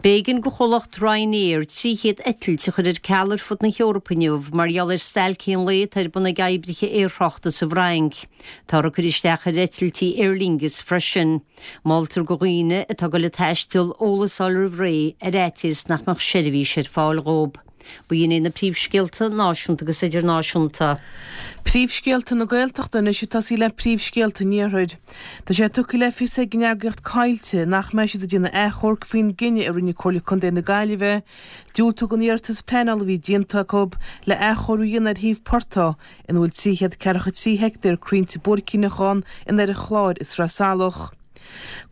B'éigean do chomhlacht Ryanair 300 eitilt a chur ar ceal ar fud na hEorpa inniu mar gheall ar stailc aon lae atá ar bun ag oibrithe aerthráchta sa bhFrainc. Táthar ag cur isteach ar eitiltí Aer Lingus freisin. Moltar do dhaoine atá ag dul ag taisteal eolas a fháil roimh ré ar fhaitíos nach mbeadh seirbhís ar fáil dhóibh. B'in iad na príomhscéalta náisiúnta agus idirnáisiúnta. Príomhscéalta na Gaeltachta anois ag tosaí le príomhscéalta an Iarthair. Tá sé tugtha le fios ag an eagraíocht Coillte nach mbeidh siad ag déanamh achomhairc faoin gcinneadh a rinne Comhairle Contae na Gaillimhe diúltú don iarratas pleanála a bhí déanta acu le athchóiriú a dhéanamh ar shuíomh portaigh ina bhfuil 343 heictéar crainnte buaircíneach ann in oirthear an Chláir i Sraith Salach.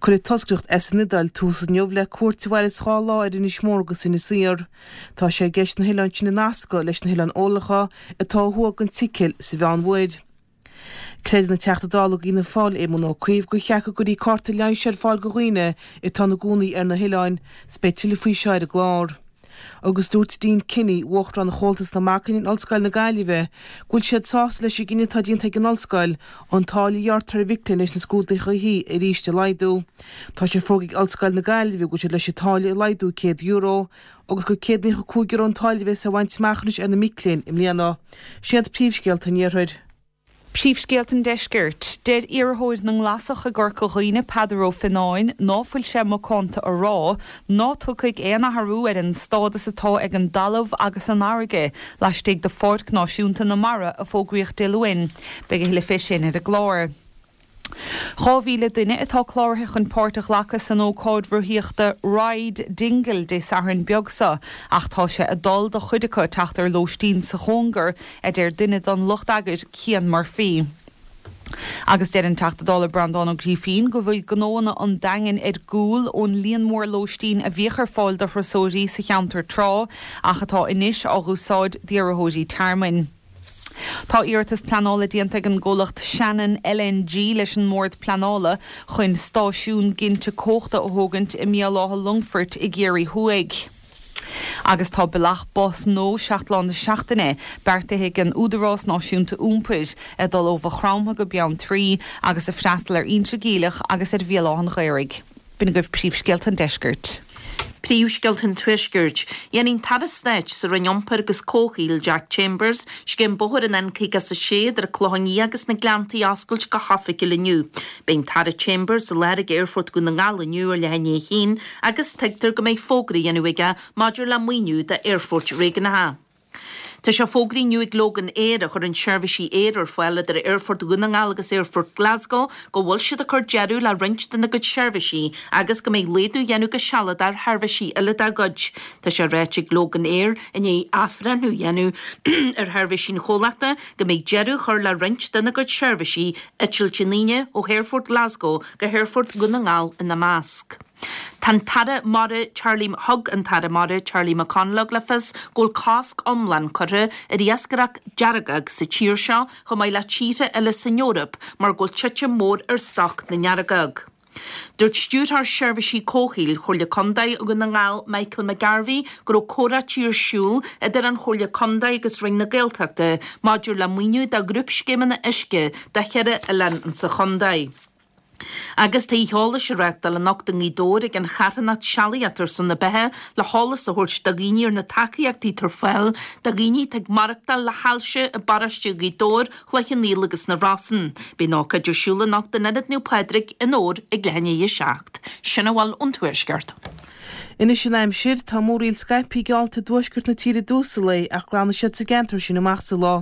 Cuirfidh toscaireacht as an Iodáil tús inniu le cuairt a mhairfeas 2 lá ar Inis Mór agus Inis Oírr. Tá sé i gceist na hoileáin sin a nascadh leis na hOileáin Eolacha atá ó thuaidh den tSicil sa Mheánmhuir. Creideann an Teachta Dála d'Fhianna Fáil Éamon Ó Cuív gur cheart go gcuirfí cárta leighis ar fáil do dhaoine atá ina gcónaí ar na hoileáin 's beidh tuilleadh faoi seo ar an gclár. Agus dúirt Dean Kinney, Uachtarán Chomhaltas na Mac Léinn in Ollscoil na Gaillimhe, go bhfuil siad sásta leis an gcinneadh atá déanta ag an Ollscoil an táille a ghearrtar ar mhic léinn leis na scrúduithe arís a laghdú. Tá sé fógartha ag Ollscoil na Gaillimhe go bhfuil siad leis an táille a laghdú €100 agus gur €195 an táille a bheas á bhaint amach anois ar na mic léinn i mbliana. Sin iad príomhscéalta an Iarthair. Príomhscéalta an Deiscirt. Deir iarrthóir na nGlasach i gCorca Dhuibhne, Peadar Ó Fionnáin, ná fuil sé macánta a rá ná tiocfaidh aon athrú ar an stádas atá ag an dtalamh agus an fharraige laistigh de Pháirc Náisiúnta na Mara a fógraíodh Dé Luain. Beidh a thuilleadh fé sin ar an gclár. 2,000 duine atá cláraithe chun páirt a ghlacadh san ócáid rothaíochta Ride Dingle Dé Sathairn beag seo ach tá sé ag dul do chuid acu teacht ar lóistín sa chóngar, a deir duine den lucht eagair, Cian Murphy. Agus deir an Teachta Dála Breandán Ó Grífín go bhfuil gnóanna an Daingin ar gcúl ón líon mór lóistín a bhíodh ar fáil do thurasóirí sa cheantar tráth ach atá anois á dh'úsáid d'iarrthóirí tearmainn. Tá iarratas pleanála déanta ag an gcomhlacht Shannon LNG leis an mBord Pleanála chun stáisiún ginte cumhachta a thógaint i mBéal Átha Longfoirt i gCiarraí Thuaidh. Agus tá bealach bus nua 7 lá na seachtaine beartaithe ag an Údarás Náisiúnta Iompair ag dul ó Mhaigh Chromtha go Beanntraí agus ag freastal ar Inse Geimhleach agus ar Bhéal Átha an Ghaorthaidh. B'in agaibh príomhscéalta an deiscirt. Príomhscéalta an Tuaiscirt. Dhéanfaidh an tAire Stáit sa Roinn Iompair agus Comhshaoil, Jack Chambers, scéim bóthair an N56 idir an Clochán Liath agus na Gleanntaí a oscailt go hoifigiúil inniu. Beidh an tAire Chambers i láthair ag Aerfort Dhún na nGall inniu ar leath i ndiaidh a haon agus tuigtear go mbeidh fógra á dhéanamh aige maidir le maoiniú d'aerfoirt réigiúnacha. Tá sé fógraithe inniu ag Loganair, a chuireann seirbhísí aeir ar fáil idir Aerfort Dhún na nGall agus Aerfort Glasgow, go bhfuil siad ag cur deireadh le roinnt dena gcuid seirbhísí agus go mbeidh laghdú á dhéanamh go sealadach ar sheirbhísí eile dá gcuid. Tá sé ráite ag Loganair, i ndiaidh athbhreithniú a dhéanamh ar sheirbhísí an chomhlachta, go mbeidh deireadh á chur le roinnt dena gcuid seirbhísí, eitilt an Aoine ó Aerfort Glasgow go hAerfort Dhún na nGall ina measc. Tá an tAire Mara Charlie Thug an tAire Mara Charlie McConalogue le fios go bhfuil cosc iomlán curtha ar iascaireacht deargóg sa tír seo chomh maith le tíortha eile san Eoraip mar go bhfuil titim mór ar stoc na ndeargóg. Dúirt Stiúrthóir Seirbhísí Comhshaoil Chomhairle Contae Dhún na nGall Michael McGarvey go raibh comhráití ar siúl idir an Chomhairle Contae agus Roinn na Gaeltachta maidir le maoiniú do ghrúpscéimeanna uisce do cheithre oileán insa chontae. Agus tá oíche eolais á reáchtáil anocht i nGaoth Dobhair ag an charthanacht Sealaíocht ar son na Beatha le heolas a thabhairt do dhaoine ar na tacaíochtaí atá ar fáil do dhaoine atá ag maireachtáil le hailse i bparóiste Ghaoth Dobhair, Chloich Cheann Fhaola agus na Rosann. Beidh an ócáid ar siúl anocht in Ionad Naomh Pádraig i nDobhar ag leath i ndiaidh a 7. Sin a bhfuil ón Tuaisceart. Anois an aimsir, tá múraíl scaipthe geallta i dtuaisceart na tíre i dtús an lae ach glanfaidh siad sa gceantar sin amach sa lá.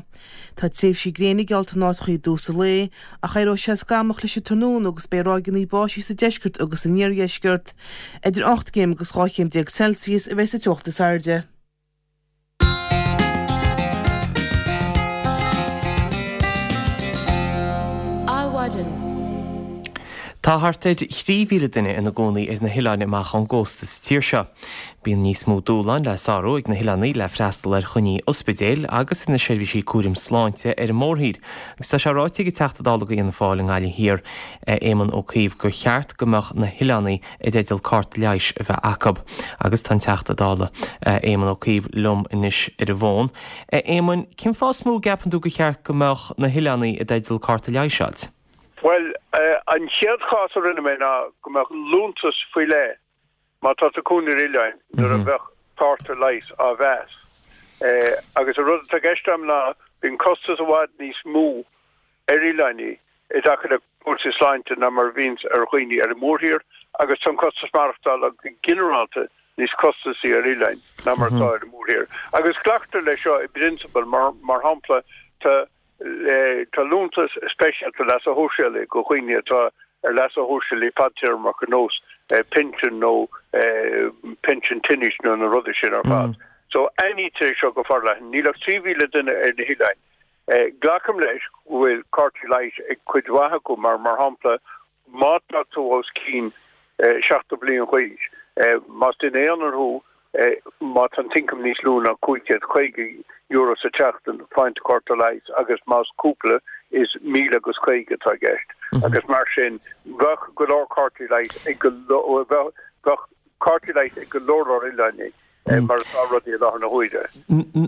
Tá tréimhsí gréine geallta in áiteachaí i dtús an lae, ach éireoidh sé scamallach leis an tráthnóna agus beidh ráigeanna báistí sa deisceart agus san iardheisceart. Idir 8 gcéim agus 12 chéim Celsius a bheidh sa teocht is airde. Adhmhaidin. Tá thart ar 3,000 duine ina gcónaí ar na hoileáin amach ón gcósta sa tír seo. Bíonn níos mó dúshláin le sárú ag na hoileánaigh le freastal ar choinní ospidéil agus ar na seirbhísí cúraim sláinte ar an mórthír agus tá sé ráite ag an Teachta Dála do Fhianna Fáil i nGaillimh Thiar, Éamon Ó Cuív gur cheart go mbeadh na hoileánaigh i dteideal cárta leighis a bheith acu. Agus tá an Teachta Dála, Éamon Ó Cuív liom anois ar an bhfón. A Éamoin, cén fáth is mó a gceapann tú gur cheart go mbeadh na hoileánaigh i dteideal cárta leighis a fháilt? Bhuel, an chéad chás a rinne mé ná go mbeadh liúntas faoi leith má tá tú ag cónaí ar oileáin nuair a bheadh cárta leighis á mheas. Agus an rud atá i gceist agam ná bíonn costas i bhfad níos mó ar oileánaigh i dtaca le cúrsaí sláinte ná mar a bhíonns ar dhaoine ar an mórthír agus tá an costas maireachtála go ginearálta níos costasaí ar oileáin ná mar atá ar an mórthír. Agus glactar leis seo i bprionsabal mar, mar shampla, tá Tá liúntas speisialta leasa shóisialaigh do dhaoine atá ar leasa shóisialaigh fadtéarmach ar nós pinsean nó pinsean tinnis nó na rudaí sin ar fad. So aithnítear é seo go forleathan. Níl ach 3,000 duine ar na hoileáin. Glacaim leis go bhfuil cártaí leighis ag cuid mhaith acu mar, mar shampla, Má tá tú os cionn 70 bliain d'aois, más duine aonair thú, má tá an t-ioncam níos lú ná €550 sa tseachtain, faigheann tú cárta leighis agus más cúpla is 1,050 atá i gceist. Agus mar sin, bheadh go leor cártaí leighis ag go leor, bheadh cártaí leighis ag go leor leor oileánaigh. mar atá rudaí i láthair na huaire.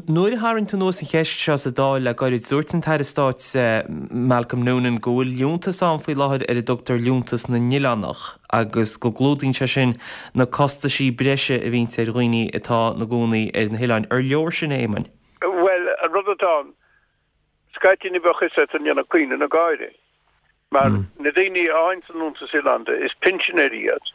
Nuair a tharraing tú anuas an cheist seo sa Dáil le gairid, dúirt an tAire Stáit Malcolm Noonan go bhfuil liúntas ann faoi láthair ar a dtugtar Liúntas na nOileánach agus go gclúdaíonn sé sin na costaisí breise a bhíonns ar dhaoine atá ina gcónaí ar na hoileáin. Ar leor sin, a Éamoinn? Bhuel, an rud atá ann, scaití ní bheadh fhios agat an ndéanfaidh caoineadh nó gáire. Mar na daoine a fhaigheanns an Liúntas Oileánda, is pinsinéirí iad,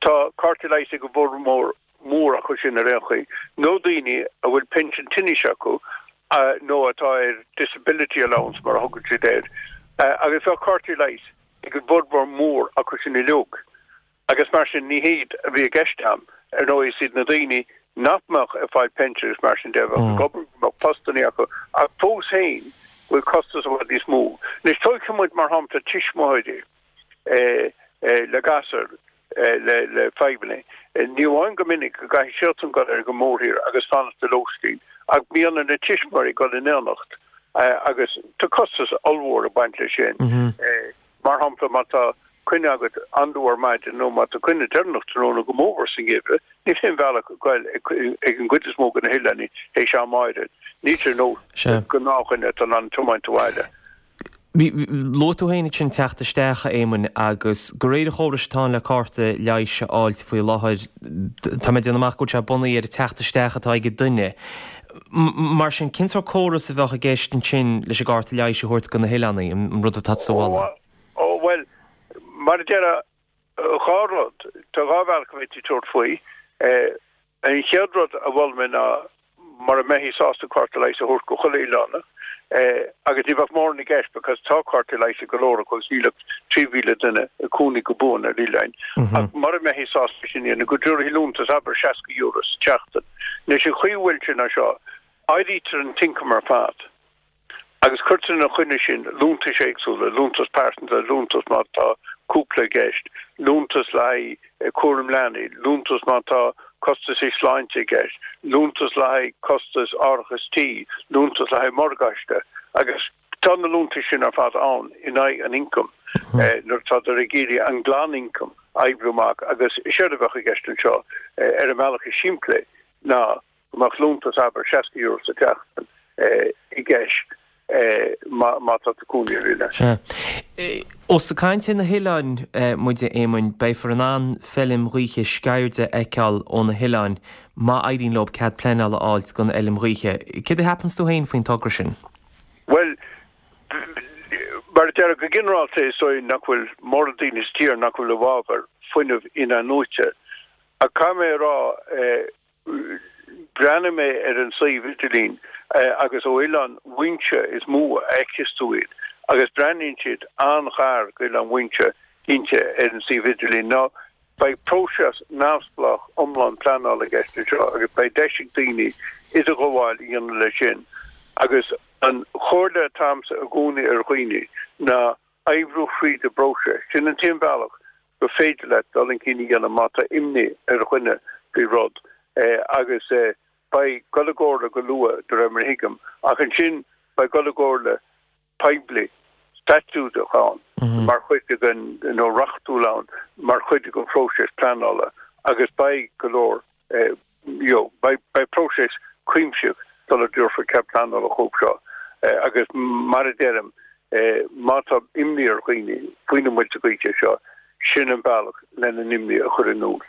tá cártaí leighis ag an bhformhór mór acu sin ar aon chaoi, nó daoine a bhfuil pinsean tinnis acu nó atá ar disability allowance mar a thugann siad air, agus bheadh cártaí leighis ag an bhformhór mór acu sin uilig. Agus mar sin, ní hiad a bhí i gceist a'm, ar ndóigh, is iad na daoine nach mbeadh ag fáil pinsin agus mar sin de, a bheadh ag obair, go mbeadh postannaí acu, ach fós féin, go bhfuil costas i bhfad níos mó. Anois, tógfaidh muid, mar shampla, tuismitheoirí le gasúir le fadhbanna. Ní amháin go minic go gcaithfidh siadsan dul ar an mórthír agus fanacht i lóistín, ach bíonn ar na tuismitheoirí dul in éineacht agus tá costas ollmhór ag baint leis sin. Mar shampla, má tá coinne agat an-luath ar maidin nó má tá coinne deireanach tráthnóna go mórmhór sa ngeimhreadh, níl aon bhealach ag goil ag an gcuid is mó de na hoileánaigh théis am áirid. Níl sé ar nós gnáthdhuine atá in ann tiomáint abhaile. Luaigh tú féin ansin teacht isteach, a Éamoinn, agus de réir an chórais atá ann le cárta leighis a fháilt faoi láthair, tá mé ag déanamh amach go bhfuil sé bunaithe ar an teacht isteach atá ag an duine. Mar sin, cén sórt córas a bheadh i gceist ansin leis an gcárta leighis a thabhairt do na hoileánaigh, an rud atá tusa a mholadh? Ó, bhuel, mar a déarfá, dhá rud, tá dhá bhealach a bhféadfaí tabhairt faoi. An chéad rud a mhol mé ná mura mbeifí sásta cárta leighis a thabhairt go chuile oileánach, agus ní bheadh mórán i gceist because tá cártaí leighis ag go leor acu agus níl ach 3,000 duine ag cónaí go buan ar oileáin, ach mura mbeifí sásta sin a dhéanamh, go dtabharfaí liúntas, abair €60 sa tseachtain. Anois an chaoi a bhfuil sé ná seo, áirítear an t-ioncam ar fad agus cuirtear ina choinne sin liúntais éagsúla, liúntas pearsanta, liúntas má tá cúpla i gceist, liúntas le haghaidh cúram leanaí, liúntas má tá costasaí sláinte i gceist, liúntas le haghaidh costas árachas tí, liúntas le haghaidh morgáiste agus tá na liúntais sin ar fad ann in aghaidh an ioncaim nuair atádar ag iarraidh an glanioncam a oibriú amach agus séard a bheadh i gceist anseo ar an mbealach is simplí ná go mbeadh liúntas, abair, €60 sa tseachtain i gceist má tá tú ag cónaí ar oileán. Sea. Ós ag caint ar na hoileáin muid, a Éamoinn, beifear in ann feilm ghaoithe Sceirde a fheiceáil ó na hoileáin má éiríonn leo cead pleanála a fháilt don fheilm ghaoithe. Céard a cheapanns tú féin faoin togra sin? Bhuel, mar a déarfá, go ginearálta is dóigh nach bhfuil mórán daoine sa tír nach bhfuil i bhfabhar fuinneamh in-athnuaite. Ach caithfidh mé a rá, Bhreathnaigh mé ar an suíomh idirlín agus ó Oileán Mhuinseo is mó a fheiceas tú iad agus breathnaíonn siad an-ghar go Oileán Mhuinseo cinnte ar an suíomh idirlín. Now beidh próiseas neamhspleách iomlán pleanála i gceist anseo agus beidh deis ag daoine idirghabháil a dhéanamh leis sin agus an chomhairle atá agamsa i gcónaí ar dhaoine ná oibriú thríd an bpróiseas. Sin an t-aon bhealach gur féidir leat dul chun cinn a dhéanamh má tá imní ar dhuine faoi rud agus beidh dul i gcomhairle go luath de réir mar a thuigim ach ansin beidh dul i gcomhairle poiblí staitiúideach ann mar chuid den nó reachtúil ann mar chuid den phróiseas pleanála agus beidh go leor you know, beidh, beidh próiseas cuimsitheach sula dtabharfar cead pleanála chucu seo agus mar a deirim, má tá imní ar dhaoine faoi na muilte gaoithe seo, sin an bealach lena n-imní a chur in iúl.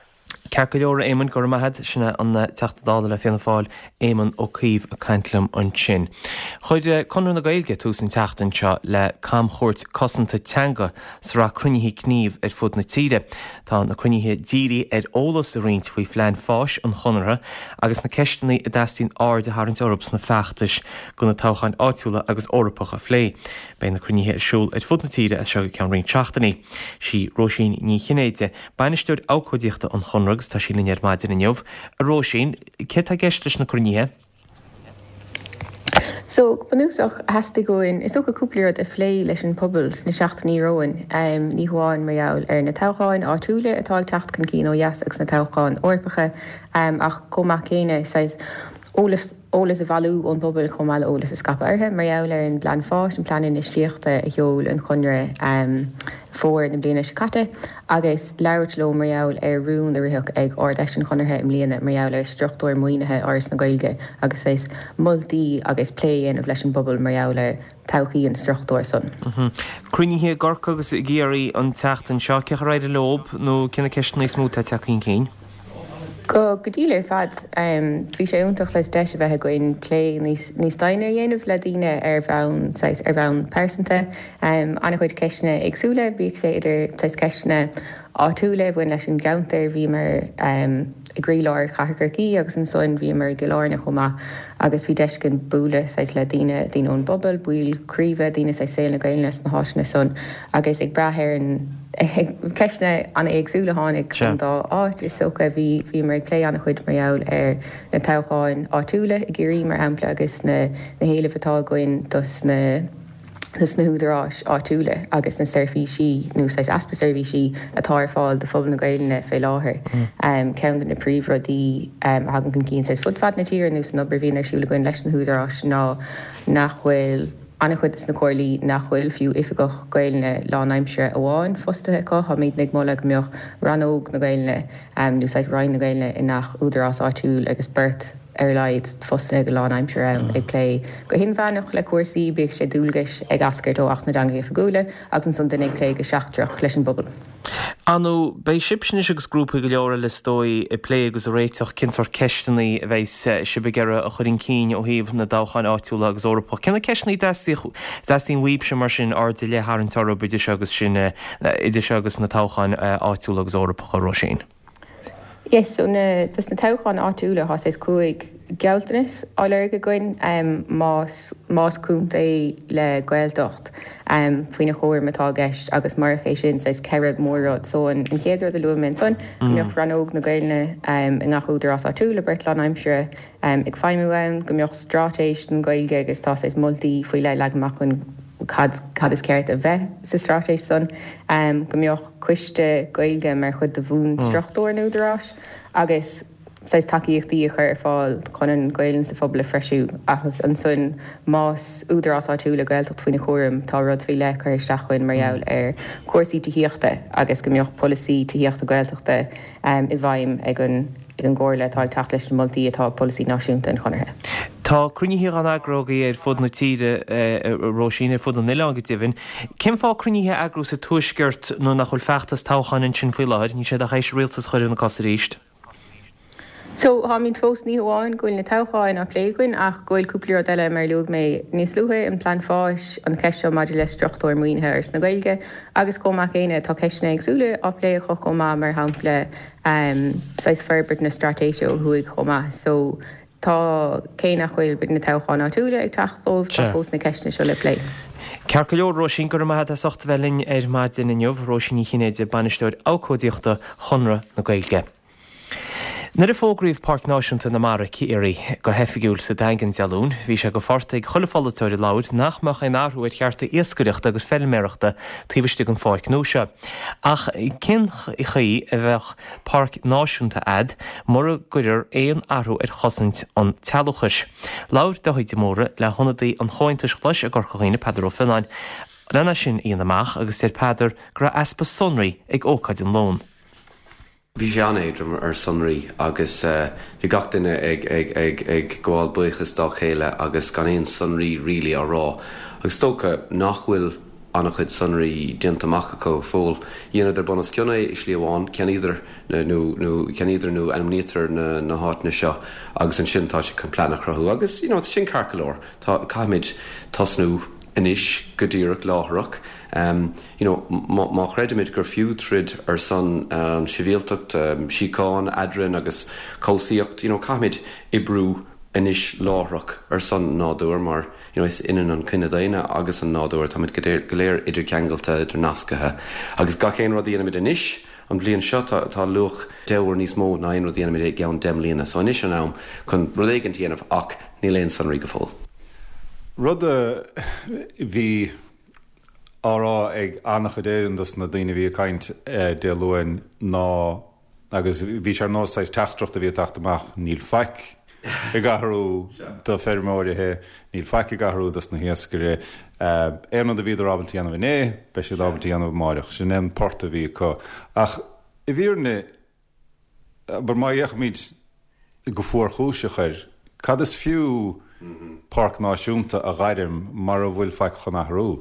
Ceart go leor, a Éamoinn, go raibh maith agat. Sin é an Teachta Dála le Fianna Fáil, Éamon Ó Cuív ag caint liom ansin. Chuir Conradh na Gaeilge tús an tseachtain seo le camchuairt cosanta teanga, sraith cruinnithe gnímh ar fud na tíre. Tá na cruinnithe dírithe ar eolas a roinnt faoi phlean fáis an Chonartha agus na ceisteanna a dteastaíonn aird a tharraingt orthu sna feachtais do na toghcháin áitiúla agus Eorpacha a phlé. Beidh na cruinnithe ar siúl ar fud na tíre as seo go ceann roinnt seachtainí. Sí Róisín Ní Chinnéide Bainisteoir Abhcóideachta an Chonartha agus tá sí linn ar maidin inniu. A Róisín, céard tá i gceist leis na cruinnithe? So, go bunúsach, theastaigh uainn, is dócha, cúpla rud a phlé leis an pobal sna seachtainí romhainn, ní hamháin mar gheall ar na toghcháin áitiúla atá ag teacht chun cinn ó dheas agus na toghcháin Eorpacha, ach chomh maith céanna, saghas eolas, eolas a bhailiú ón bpobal chomh maith le eolas a scaipeadh orthu mar gheall ar an bplean fáis, an plean infheistíochta a sheol an Conradh fómhar na bliana seo caite agus labhairt leo mar gheall ar rún a ritheadh ag Ard-Fheis an Chonartha i mbliana mar gheall ar struchtúr maoinithe Fhoras na Gaeilge agus saghas moltaí agus plé a dhéanamh leis an bpobal mar gheall ar todhchaí an struchtúir san. Cruinnithe i gCorcaigh agus i gCiarraí an tseachtain seo, cén chaoi ar éirigh leo nó cé na ceisteanna is mó atá ag teacht chun cinn? Go diail ar fad. Bhí sé iontach saghas deis a bheith againn plé níos níos doimhne a dhéanamh le daoine ar bhonn saghas ar bhonn pearsanta. An-chuid ceisteanna éagsúla, bíodh sé idir saghas ceisteanna áitiúla a bhain leis an gceantar, bhíomar i gcroílár chathair Chorcaí agus ansan bhíomar i gCill Airne chomh maith agus bhí deis againn bualadh saghas le daoine, daoine ón bpobal, baill craoibhe, daoine saghas saol na Gaelainne sna háiteanna san agus ag brath ar an Ceisteanna an-éagsúla a tháinig ón dá áit is dócha. Bhí, bhíomar ag plé an-chuid mar gheall ar na toghcháin áitiúla i gCiarraí mar shampla agus na na héilimh atá againn dos na dos na húdaráis áitiúla agus na seirbhísí nó saghas easpa seirbhísí atá ar fáil do phobal na Gaelainne fé láthair. Ceann de na príomhrudaí a thagann chun cinn saghas fud fad na tíre nó san obair a bhíonn ar siúl againn leis na húdaráis ná nach bhfuil an-chuid de na comhairlí nach bhfuil fiú oifigeach Gaelainne lánaimseartha amháin fostaithe acu. Táimidne ag moladh go mbeadh rannóg na Gaelainne nó saghas Roinn na Gaelainne i ngach údarás áitiúil agus beirt ar a laghad fostaithe go lánaimseartha ann ag plé go hinmheánach le cúrsaí, bíodh sé dualgais ag eascairt ó Acht na dTeangacha Oifigiúla agus ansan duine ag plé go seachtrach leis an bpobal. Ar ndóigh, beidh sibhse anois agus grúpaí go leor eile is dóigh ag plé agus ag réiteach cén sórt ceisteanna a bheidh sibh ag iarraidh a chur chun cinn ó thaobh na dtoghcháin áitiúla agus Eorpach. Cé na ceisteanna a dteastaíonn uaibhse mar sin aird ar leith a tharraingt orthu idir seo agus sin, idir seo agus na toghcháin áitiúla agus Eorpacha, Róisín? Yes, so na, dos na toghcháin áitiúla tá saghas 5 gealltanas á lorg againn más, más contae le Gaeltacht faoina chúram atá i gceist agus murach é sin saghas 4 mór-rud. So an chéad rud a luaigh mé ansan, go mbeadh rannóg na Gaelainne i ngach údarás áitiúil le beirt lánaimseartha ag feidhmiú ann, go mbeadh straitéis don Ghaeilge agus tá saghas moltaí faoi leith leagtha amach againn cad, cad is ceart a bheith sa straitéis san, go mbeadh. coiste Gaeilge mar chuid de bhunstruchtúr an Údaráis agus saghas tacaíochtaí a chur ar fáil chun an Ghaelainn sa phobal a threisiú agus ansan más údarás áitiúil le Gaeltacht faoina chúram tá rud faoi leith curtha isteach againn mar gheall ar chúrsaí tithíochta agus go mbeadh polasaí tithíochta Gaeltachta i bhfeidhm ag an ag an gComhairle atá ag teacht leis na moltaí atá i bpolasaí náisiúnta an Chonartha. Tá cruinnithe á n-eagrú agaibh ar fud na tíre, a Róisín, ar fud an oileáin go deimhin. Cén fáth cruinnithe a eagrú sa Tuaisceart nuair nach bhfuil feachtas toghcháin ansin faoi láthair? Níl siad ach théis rialtas a chur ar na cosa arís. So, táimid fós, ní hamháin go bhfuil na toghcháin á plé againn ach go bhfuil cúpla rud eile mar a luaigh mé níos luaithe, an Plean Fáis, an cheist seo maidir le struchtúr maoinithe Fhoras na Gaeilge agus chomh maith céanna tá ceisteanna éagsúla á plé acu chomh maith mar shampla saghas forbairt na straitéise ó thuaidh chomh maith. So tá, cé nach bhfuil b'fhéidir na toghcháin áitiúla ag teacht dóibh, tá fós na ceisteanna seo le plé. Ceart go leor, Róisín, go raibh maith agat as ucht a bheith linn ar maidin inniu. Róisín Ní Chinnéide, Bainisteoir Abhcóideachta Chonradh na Gaeilge. Nuair a fógraíodh Páirc Náisiúnta na Mara, Ciarraí, go hoifigiúil sa Daingean Dé Luain, bhí sé go phort ag chuile pholaiteoir a labhair nach mbeadh aon athrú ar chearta iascaireachta agus feilméarachta taobh istigh den pháirc nua seo. Ach cén chaoi a bheadh páirc náisiúnta a'd mura gcuirfear aon athrú ar chosaint an tsealúchais? Labhair Dáithí de Mórdha le hionadaí an Chomhaontais Ghlais i gCorca Dhuibhne, Peadar Ó Fionnáin, lena sin a dhéanamh amach agus deir Peadar go raibh easpa sonraí ag ócáid an Luain. Bhí sé an-éadrom ar sonraí agus bhí gach duine ag ag ag ag gabháil buíochas dá chéile agus gan aon sonraí really á rá. Agus is dócha nach bhfuil an-chuid sonraí déanta amach acu go fóill. Dheineadar bun os cionn é i slí amháin, ceannaíodar nó nó ceannaíodar nó ainmníodar na na háiteanna seo agus ansin tá siad chun plean a chruthú agus you know tá sin ceart go leor. Tá caithfimid tosnú anois go díreach láithreach. You know, má chreidimid gur fiú troid ar son an sibhialtacht, síocháin eadrainn agus cobhsaíocht, you know, caithfimid oibriú anois láithreach ar son an nádúir mar, you know, is ionann an cine daonna agus an nádúr, táimid go léir idircheangailte, idirnascaithe agus gach aon rud a dhéanaimid anois, an bhliain seo, tá, tá luach 10 uair níos mó ná aon rud a dhéanaimid i gceann 10 mbliana. So anois an am chun rud éigin a dhéanamh ach níl aon sonraí go fóill. Rud a bhí á rá ag an-chuid Éireann dos na daoine a bhí ag caint Dé Luain ná, agus bhí sé ar nós saghas teachtaireacht a bhí ag teacht amach, níl faic ag athrú do feirmeoirithe, níl faic ag athrú dos na hiascaire, aon rud a bhíodar ábalta a dhéanamh inné, beidh siad ábalta a dhéanamh amáireach. Sin é an port a bhí acu. Ach i bhfírinne, abair, má fhéachaimid go fuarchúiseach air, cad is fiú? Páirc Náisiúnta a ghairm mara bhfuil faic chun athrú.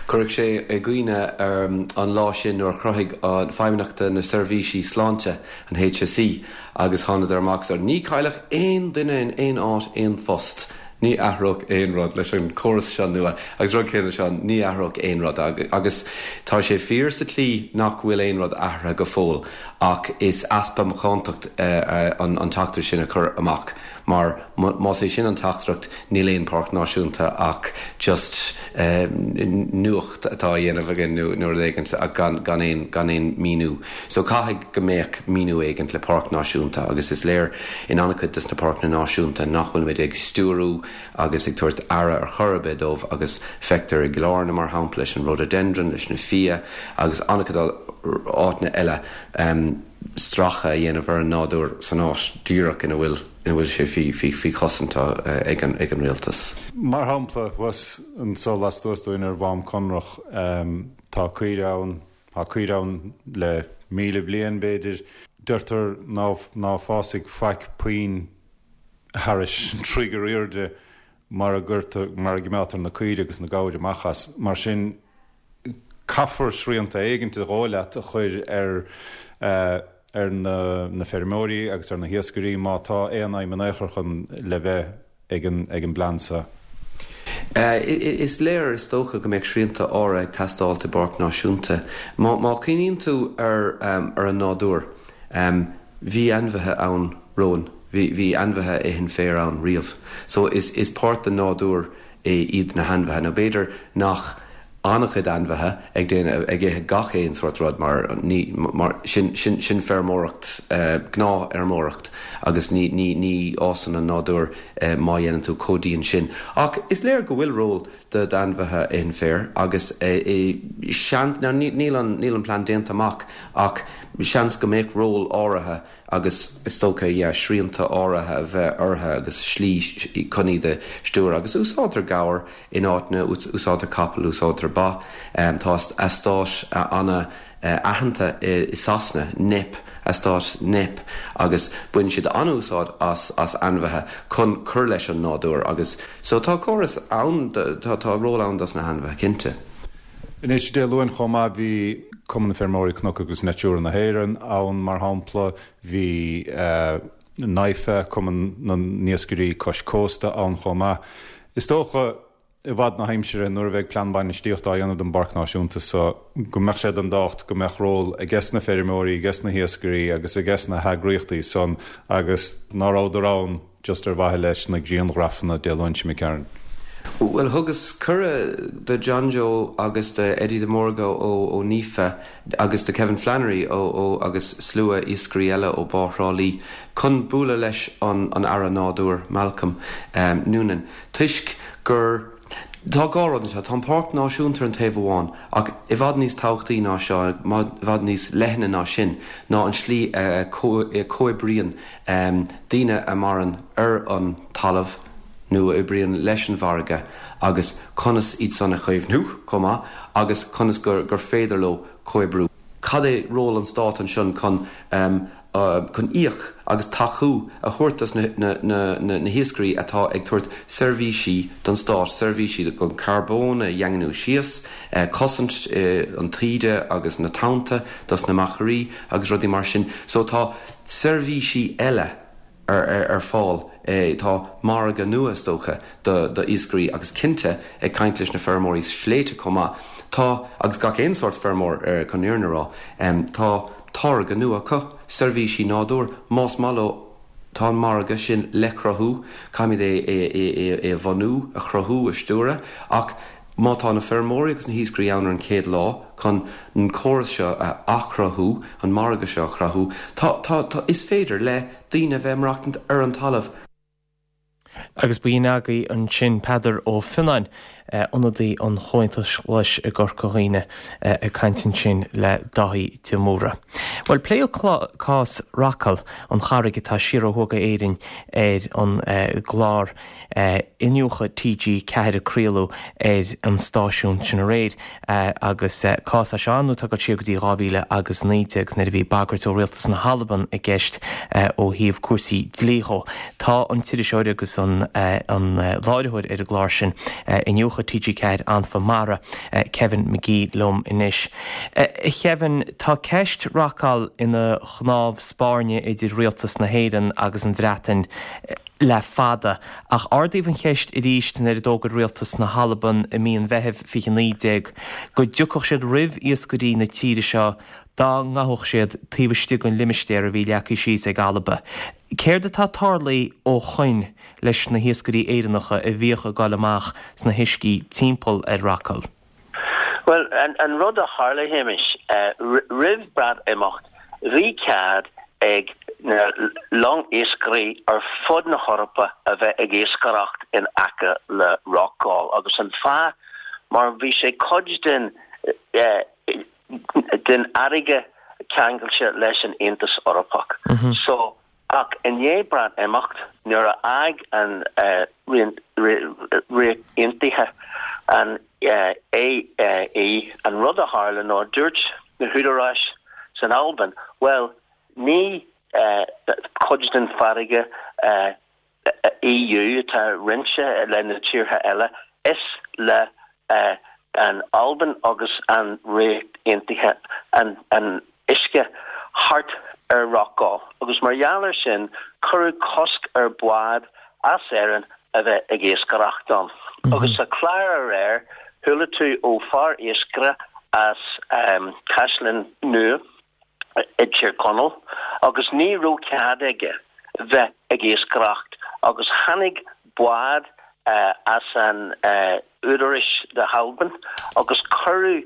Cuirfidh sé i gcuimhne an lá sin nuair a chruthaigh an Feidhmeannacht na Seirbhísí Sláinte, an HSE, agus thánadar amach is ní chaillfeadh aon duine in aon áit aon phost, ní athródh aon rud leis an córas seo nua agus rud céanna seo, ní athródh aon rud agus tá sé fíor sa tslí nach bhfuil aon rud athraithe go fóill ach is easpa macántacht an teachtaireacht sin a chur amach. Mar más é sin an teachtaireacht, níl aon páirc náisiúnta ach just nuacht atá á dhéanamh againn nó rud éigint ach gan gan aon gan aon míniú. So caithfidh go mbeadh míniú éigint le páirc náisiúnta agus is léir in an-chuid des na páirceanna náisiúnta nach bhfuilimid ag stiúrú agus ag tabhairt aire ar chor ar bith dóibh agus feictear i gCill Airne mar shampla leis an rhododendron, leis na fia agus an-chuid áiteanna eile. stracadh a dhéanamh ar an nádúr san áit díreach ina bhfuil ina bhfuil sé faoi chosaint ag an ag an rialtas. Mar shampla, thuas anso lastuas dúinn ar Mhám Conrach, tá caoire ann, tá caoire ann le 1,000 bliain, b'fhéidir. Deirtear ná ná fásfaidh faic puinn thairis troigh ar aoirde mara gcuirtear, mara gcimeádtar na caoire agus na gabhair amach as. Mar sin, caithfear srianta éigint, is dóigh leat, a chur ar ar na feirmeoirí agus ar na hiascairí má tá aon aidhm in aon chor chun le bheith ag an ag an bplean seo. Is léir, is dócha, go mbeadh srianta áirithe ag teastáilt i bpáirc náisiúnta. Má má chuimhníonn tú ar ar an nádúr, bhí ainmhithe ann romhainn, bhí bhí ainmhithe a itheann féar ann riamh. So is is páirt den nádúr iad na hainmhithe. Nó b'fhéidir nach an-chuid ainmhithe ag déanamh, ag ithe gach aon sórt rud mar ní, mar sin, sin, sin feirmeoireacht, gnáthfheirmeoireacht agus ní, ní, ní fhásann an nádúr má dhéanann tú chomh dian sin. Ach is léir go bhfuil ról do d'ainmhithe a itheann féar agus seans, now níl an, níl an plean déanta amach ach seans go mbeadh ról áirithe agus is dócha, yeah, srianta áirithe a bheith orthu agus slí chun iad a stiúradh. Agus úsáidtear gabhair in áiteanna, úsáidtear capaill, úsáidtear ba. Tá eastát an-aitheanta i Sasana, Knepp, eastát Knepp, agus baineann siad an-úsáid as as ainmhithe chun cur leis an nádúr agus so tá córas ann, tá tá ról ann dos na hainmhithe, cinnte. Anois, Dé Luain chomh maith, bhí Cumann na Feirmeoirí Cnoc agus Natura na hÉireann ann, mar shampla, bhí NIFA, Cumann na nIascairí Cois Cósta, ann chomh maith. Is dócha, i bhfad na haimsire, nuair a bheidh plean bainistíochta á dhéanamh don bPáirc Náisiúnta so, go mbeadh sé den tábhacht go mbeadh ról ages na feirmeoirí, ages na hiascairí agus ages na heagraíochtaí san agus ná rabhadar ann just ar mhaithe leis na grianghrafanna Dé Luain seo imigh tharainn. Bhuel, thugas cuireadh do John Joe agus do Eddie de Mórdha ó ó NIFA agus do Kevin Flannery ó ó agus slua iascairí eile ó Bá Thrá Lí chun bualadh leis an an Aire Nádúir, Malcolm Noonan, toisc gur Tá dhá rud anseo, tá an Páirc Náisiúnta ar an taobh amháin ach i bhfad níos tábhachtaí ná seo, i bhfad níos leithne ná sin, ná an slí a comhoibríonn daoine a maireann ar an talamh nó a oibríonn leis an bhfarraige agus conas iad san a chaomhnú chomh maith agus conas gur féidir leo comhoibriú. Cad é ról an Stáit ansin chun chun íoc agus tacú a thabhairt dos na hiascairí atá ag tabhairt seirbhísí don Stát, seirbhísí chun carbón a dhaingniú síos, cosaint an taoide agus na tonnta dos na machairí agus rudaí mar sin. So tá seirbhísí eile ar fáil. Tá margadh nua, is dócha, do iascairí agus cinnte, ag caint leis na feirmeoirí sléibhte chomh maith, tá, agus gach aon sórt feirmeoir chun an fhírinne a rá, tá táirge nua acu, seirbhísí nádúir, más maith leo, tá an margadh sin le cruthú, caithfimid é é a bhunú, a chruthú, a stiúradh, ach Má tá na feirmeoirí agus na hiascairí ann ar an chéad lá chun an córas seo a athchruthú, an margadh seo a chruthú, tá, tá, tá, is féidir le daoine a bheith ag maireachtaint ar an talamh. Agus b'in agaibh ansin Peadar Ó Fionnáin. Ionadaí an Chomhaontais Ghlais i gCorca Dhuibhne ag caint ansin le Dáithí de Mórdha. Bhuel, pléadh cás Rockall, an charraig atá siar ó thuaidh d'Éirinn ar an gclár Iniúchadh TG4 a craoladh ar an stáisiún sin aréir agus cás é seo ar ndóigh atá ag dul siar go dtí 2000 agus 19 nuair a bhí bagairt ó Rialtas na hAlban i gceist ó thaobh cúrsaí dlí dhó. Tá an t-iriseoir agus an láithreoir ar an gclár sin, Iniúchadh TG4 Anfa Mara, Kevin Magee liom anois. A Kevin, tá ceist Rockall ina chnámh spairne idir Rialtas na hÉireann agus an Bhreatain le fada, ach ardaíodh an cheist arís nuair a d'fhógair Rialtas na hAlban i mí an Mheithimh 2019 go dtiocfadh siad roimh iascairí na tíre seo dá ngabhfadh siad taobh istigh den limistéar a bhí leagtha síos ag Alba. Céard atá tarlaithe ó shoin leis na hiascairí Éireannacha a bhíodh ag dul amach sna huiscí timpeall ar Rockall? Bhuel, an rud a tharla, a Shéamais, roimh Breatimeacht, bhí cead ag na long-iascairí ar fud na hEorpa a bheith ag iascaireacht in aice le Rockall agus an fáth mar bhí sé cuid den den fharraige ceangailte leis an Aontas Eorpach. So, Ach i ndiaidh Breatimeacht, nuair a fhág an Ríocht Aontaithe an AE, an rud a tharla ná dúirt na húdaráis san Albain, bhuel, ní cuid den farraige EU atá roinnte le na tíortha eile, is le an Albain agus an Ríocht Aontaithe an uisce thart ar Rockall agus mar gheall ar sin cuireadh cosc ar bhád as Éirinn a bheith ag iascaireacht ann. Agus sa chlár aréir chuala tú ó fear iascaire as Caisleán Nua i dTír Chonaill agus ní raibh cead aige bheith ag iascaireacht agus tháinig bád as an údaráis na hAlban agus cuireadh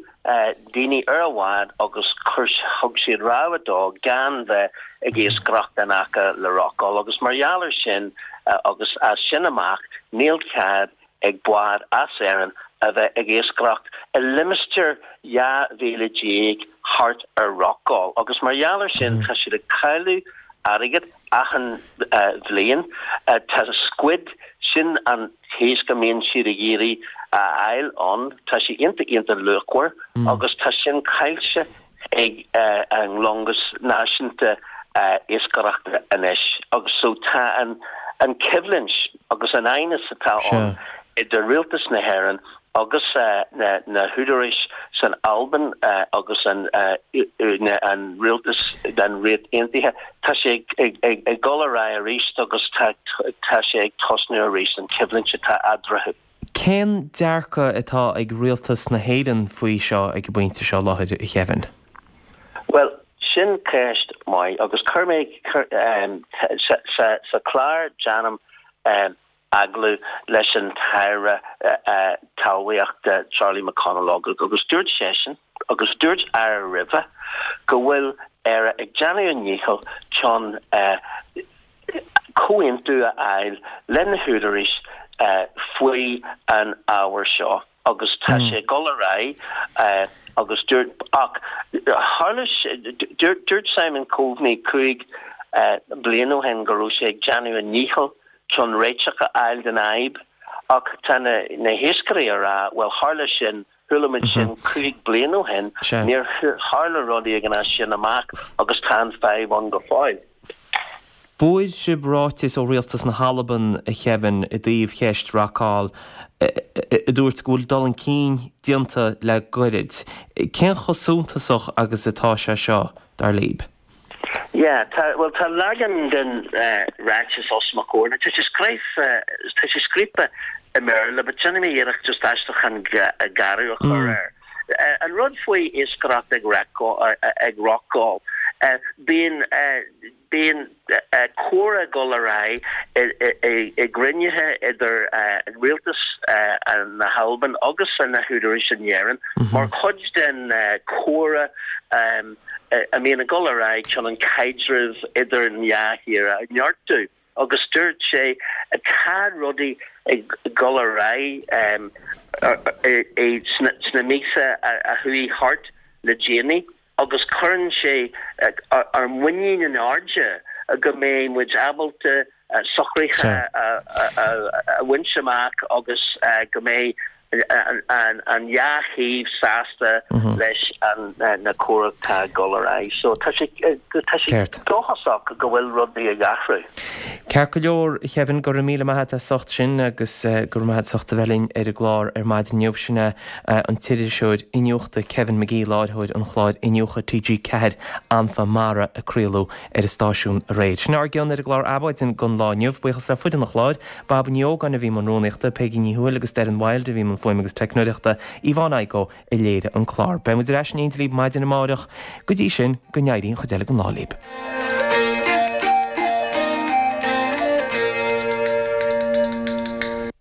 daoine ar a bhád agus chuir thug siad rabhadh dó gan bheith ag iascaireacht in aice le Rockall agus mar gheall ar sin agus as sin amach níl cead ag bád as Éirinn a bheith ag iascaireacht i limistéar 12 mhíle thart ar Rockall agus mar gheall ar sin tá siad ag cailleadh airgead achan bhliain. Tá squid, sin an t-iasc a mbíonn siad ag iarraidh a fháil ann, tá sé iontach iontach luachmhar agus tá sin caillte ag an longas náisiúnta iascaireachta anois agus so tá an an choimhlint agus an aighneas atá ann idir rialtas na hÉireann agus na húdaráis san Albain agus an an rialtas den Ríocht Aontaithe, tá sé ag dul ar aghaidh arís agus tá tá sé ag tosnú arís an choimhlint atá eadarthu. Cén dearcadh atá ag rialtas na hÉireann faoi seo ag an bpointe seo láthair, a Kevin? Bhuel, sin ceist maith agus chuir mé sa chlár déanaim agallamh leis an tAire Talmhaíochta Charlie McConalogue agus dúirt seisean, agus dúirt Aire roimhe, go bhfuil Éire ag déanamh a ndícheall chun comhaontú a fháil le na húdaráis faoi an ábhar seo agus tá sé ag dul ar aghaidh agus dúirt ach tharla dúirt dúirt Simon Coveney 5 bliain ó shin go raibh sé ag déanamh a ndícheall chun réiteach a fháil den fhadhb ach tá na na hiascairí ag rá bhuel tharla sin Chuala muid sin 5 bliain ó shin, níor tharla rud éigin as sin amach agus tá an fadhb ann go fóill. Fuair sibh ráiteas ó Rialtas na hAlban, a Kevin, i dtaobh cheist Rockall, a dúirt go bhfuil dul chun cinn déanta le goirid. Cén chomh suntasach agus atá sé seo, dar libh? Yeah, tá, bhuel tá leagan den ráiteas os mo chomhair. Now tá sé scríofa, tá sé scríofa i mBéarla but déanfaidh mé iarracht just aistriúchán garbh a chur air. An rud faoi iascaireacht ag ag Rockall, bíonn, bíonn comhrá ag dul ar aghaidh i gcruinnithe idir rialtas na hAlban agus na húdaráis in Éirinn mar chuid den chomhrá a mbíonn ag dul ar aghaidh chun an caidreamh idir an dhá thír a neartú agus dúirt sé tá rudaí ag dul ar aghaidh. Sna míosa a chuaigh thart le déanaí agus cuireann sé ár muinín in airde go mbeidh muid ábalta socruithe a bhaint amach agus go mbeidh an dhá thaobh sásta leis na comhrá atá ag dul ar aghaidh. So tá sé tá sé dóchasach go bhfuil rudaí ag athrú. Ceart go leor, a Kevin, go raibh míle maith agat as ucht sin agus go raibh maith agat as ucht a bheith linn ar an gclár ar maidin inniu. Sin é an t-iriseoir iniúchta Kevin McGee, láithreoir an chláir Iniúchadh TG4, Anfa Mara, a craoladh ar an stáisiún aréir. Sin ár gcion ar an gclár Adhmhaidin don lá inniu. Buíochas le foireann an chláir, Baba Ní Ógáin a bhí i mbun rúnaíochta, Peigí Ní Thuathail agus Doireann Wilde a bhí i mbun fuaime agus teicneoireachta, Yvonne Igoe a léirigh an clár. Beidh muid ar ais in éindí libh maidin amárach. Go dtí sin, go n-éirí an chuid eile den lá libh.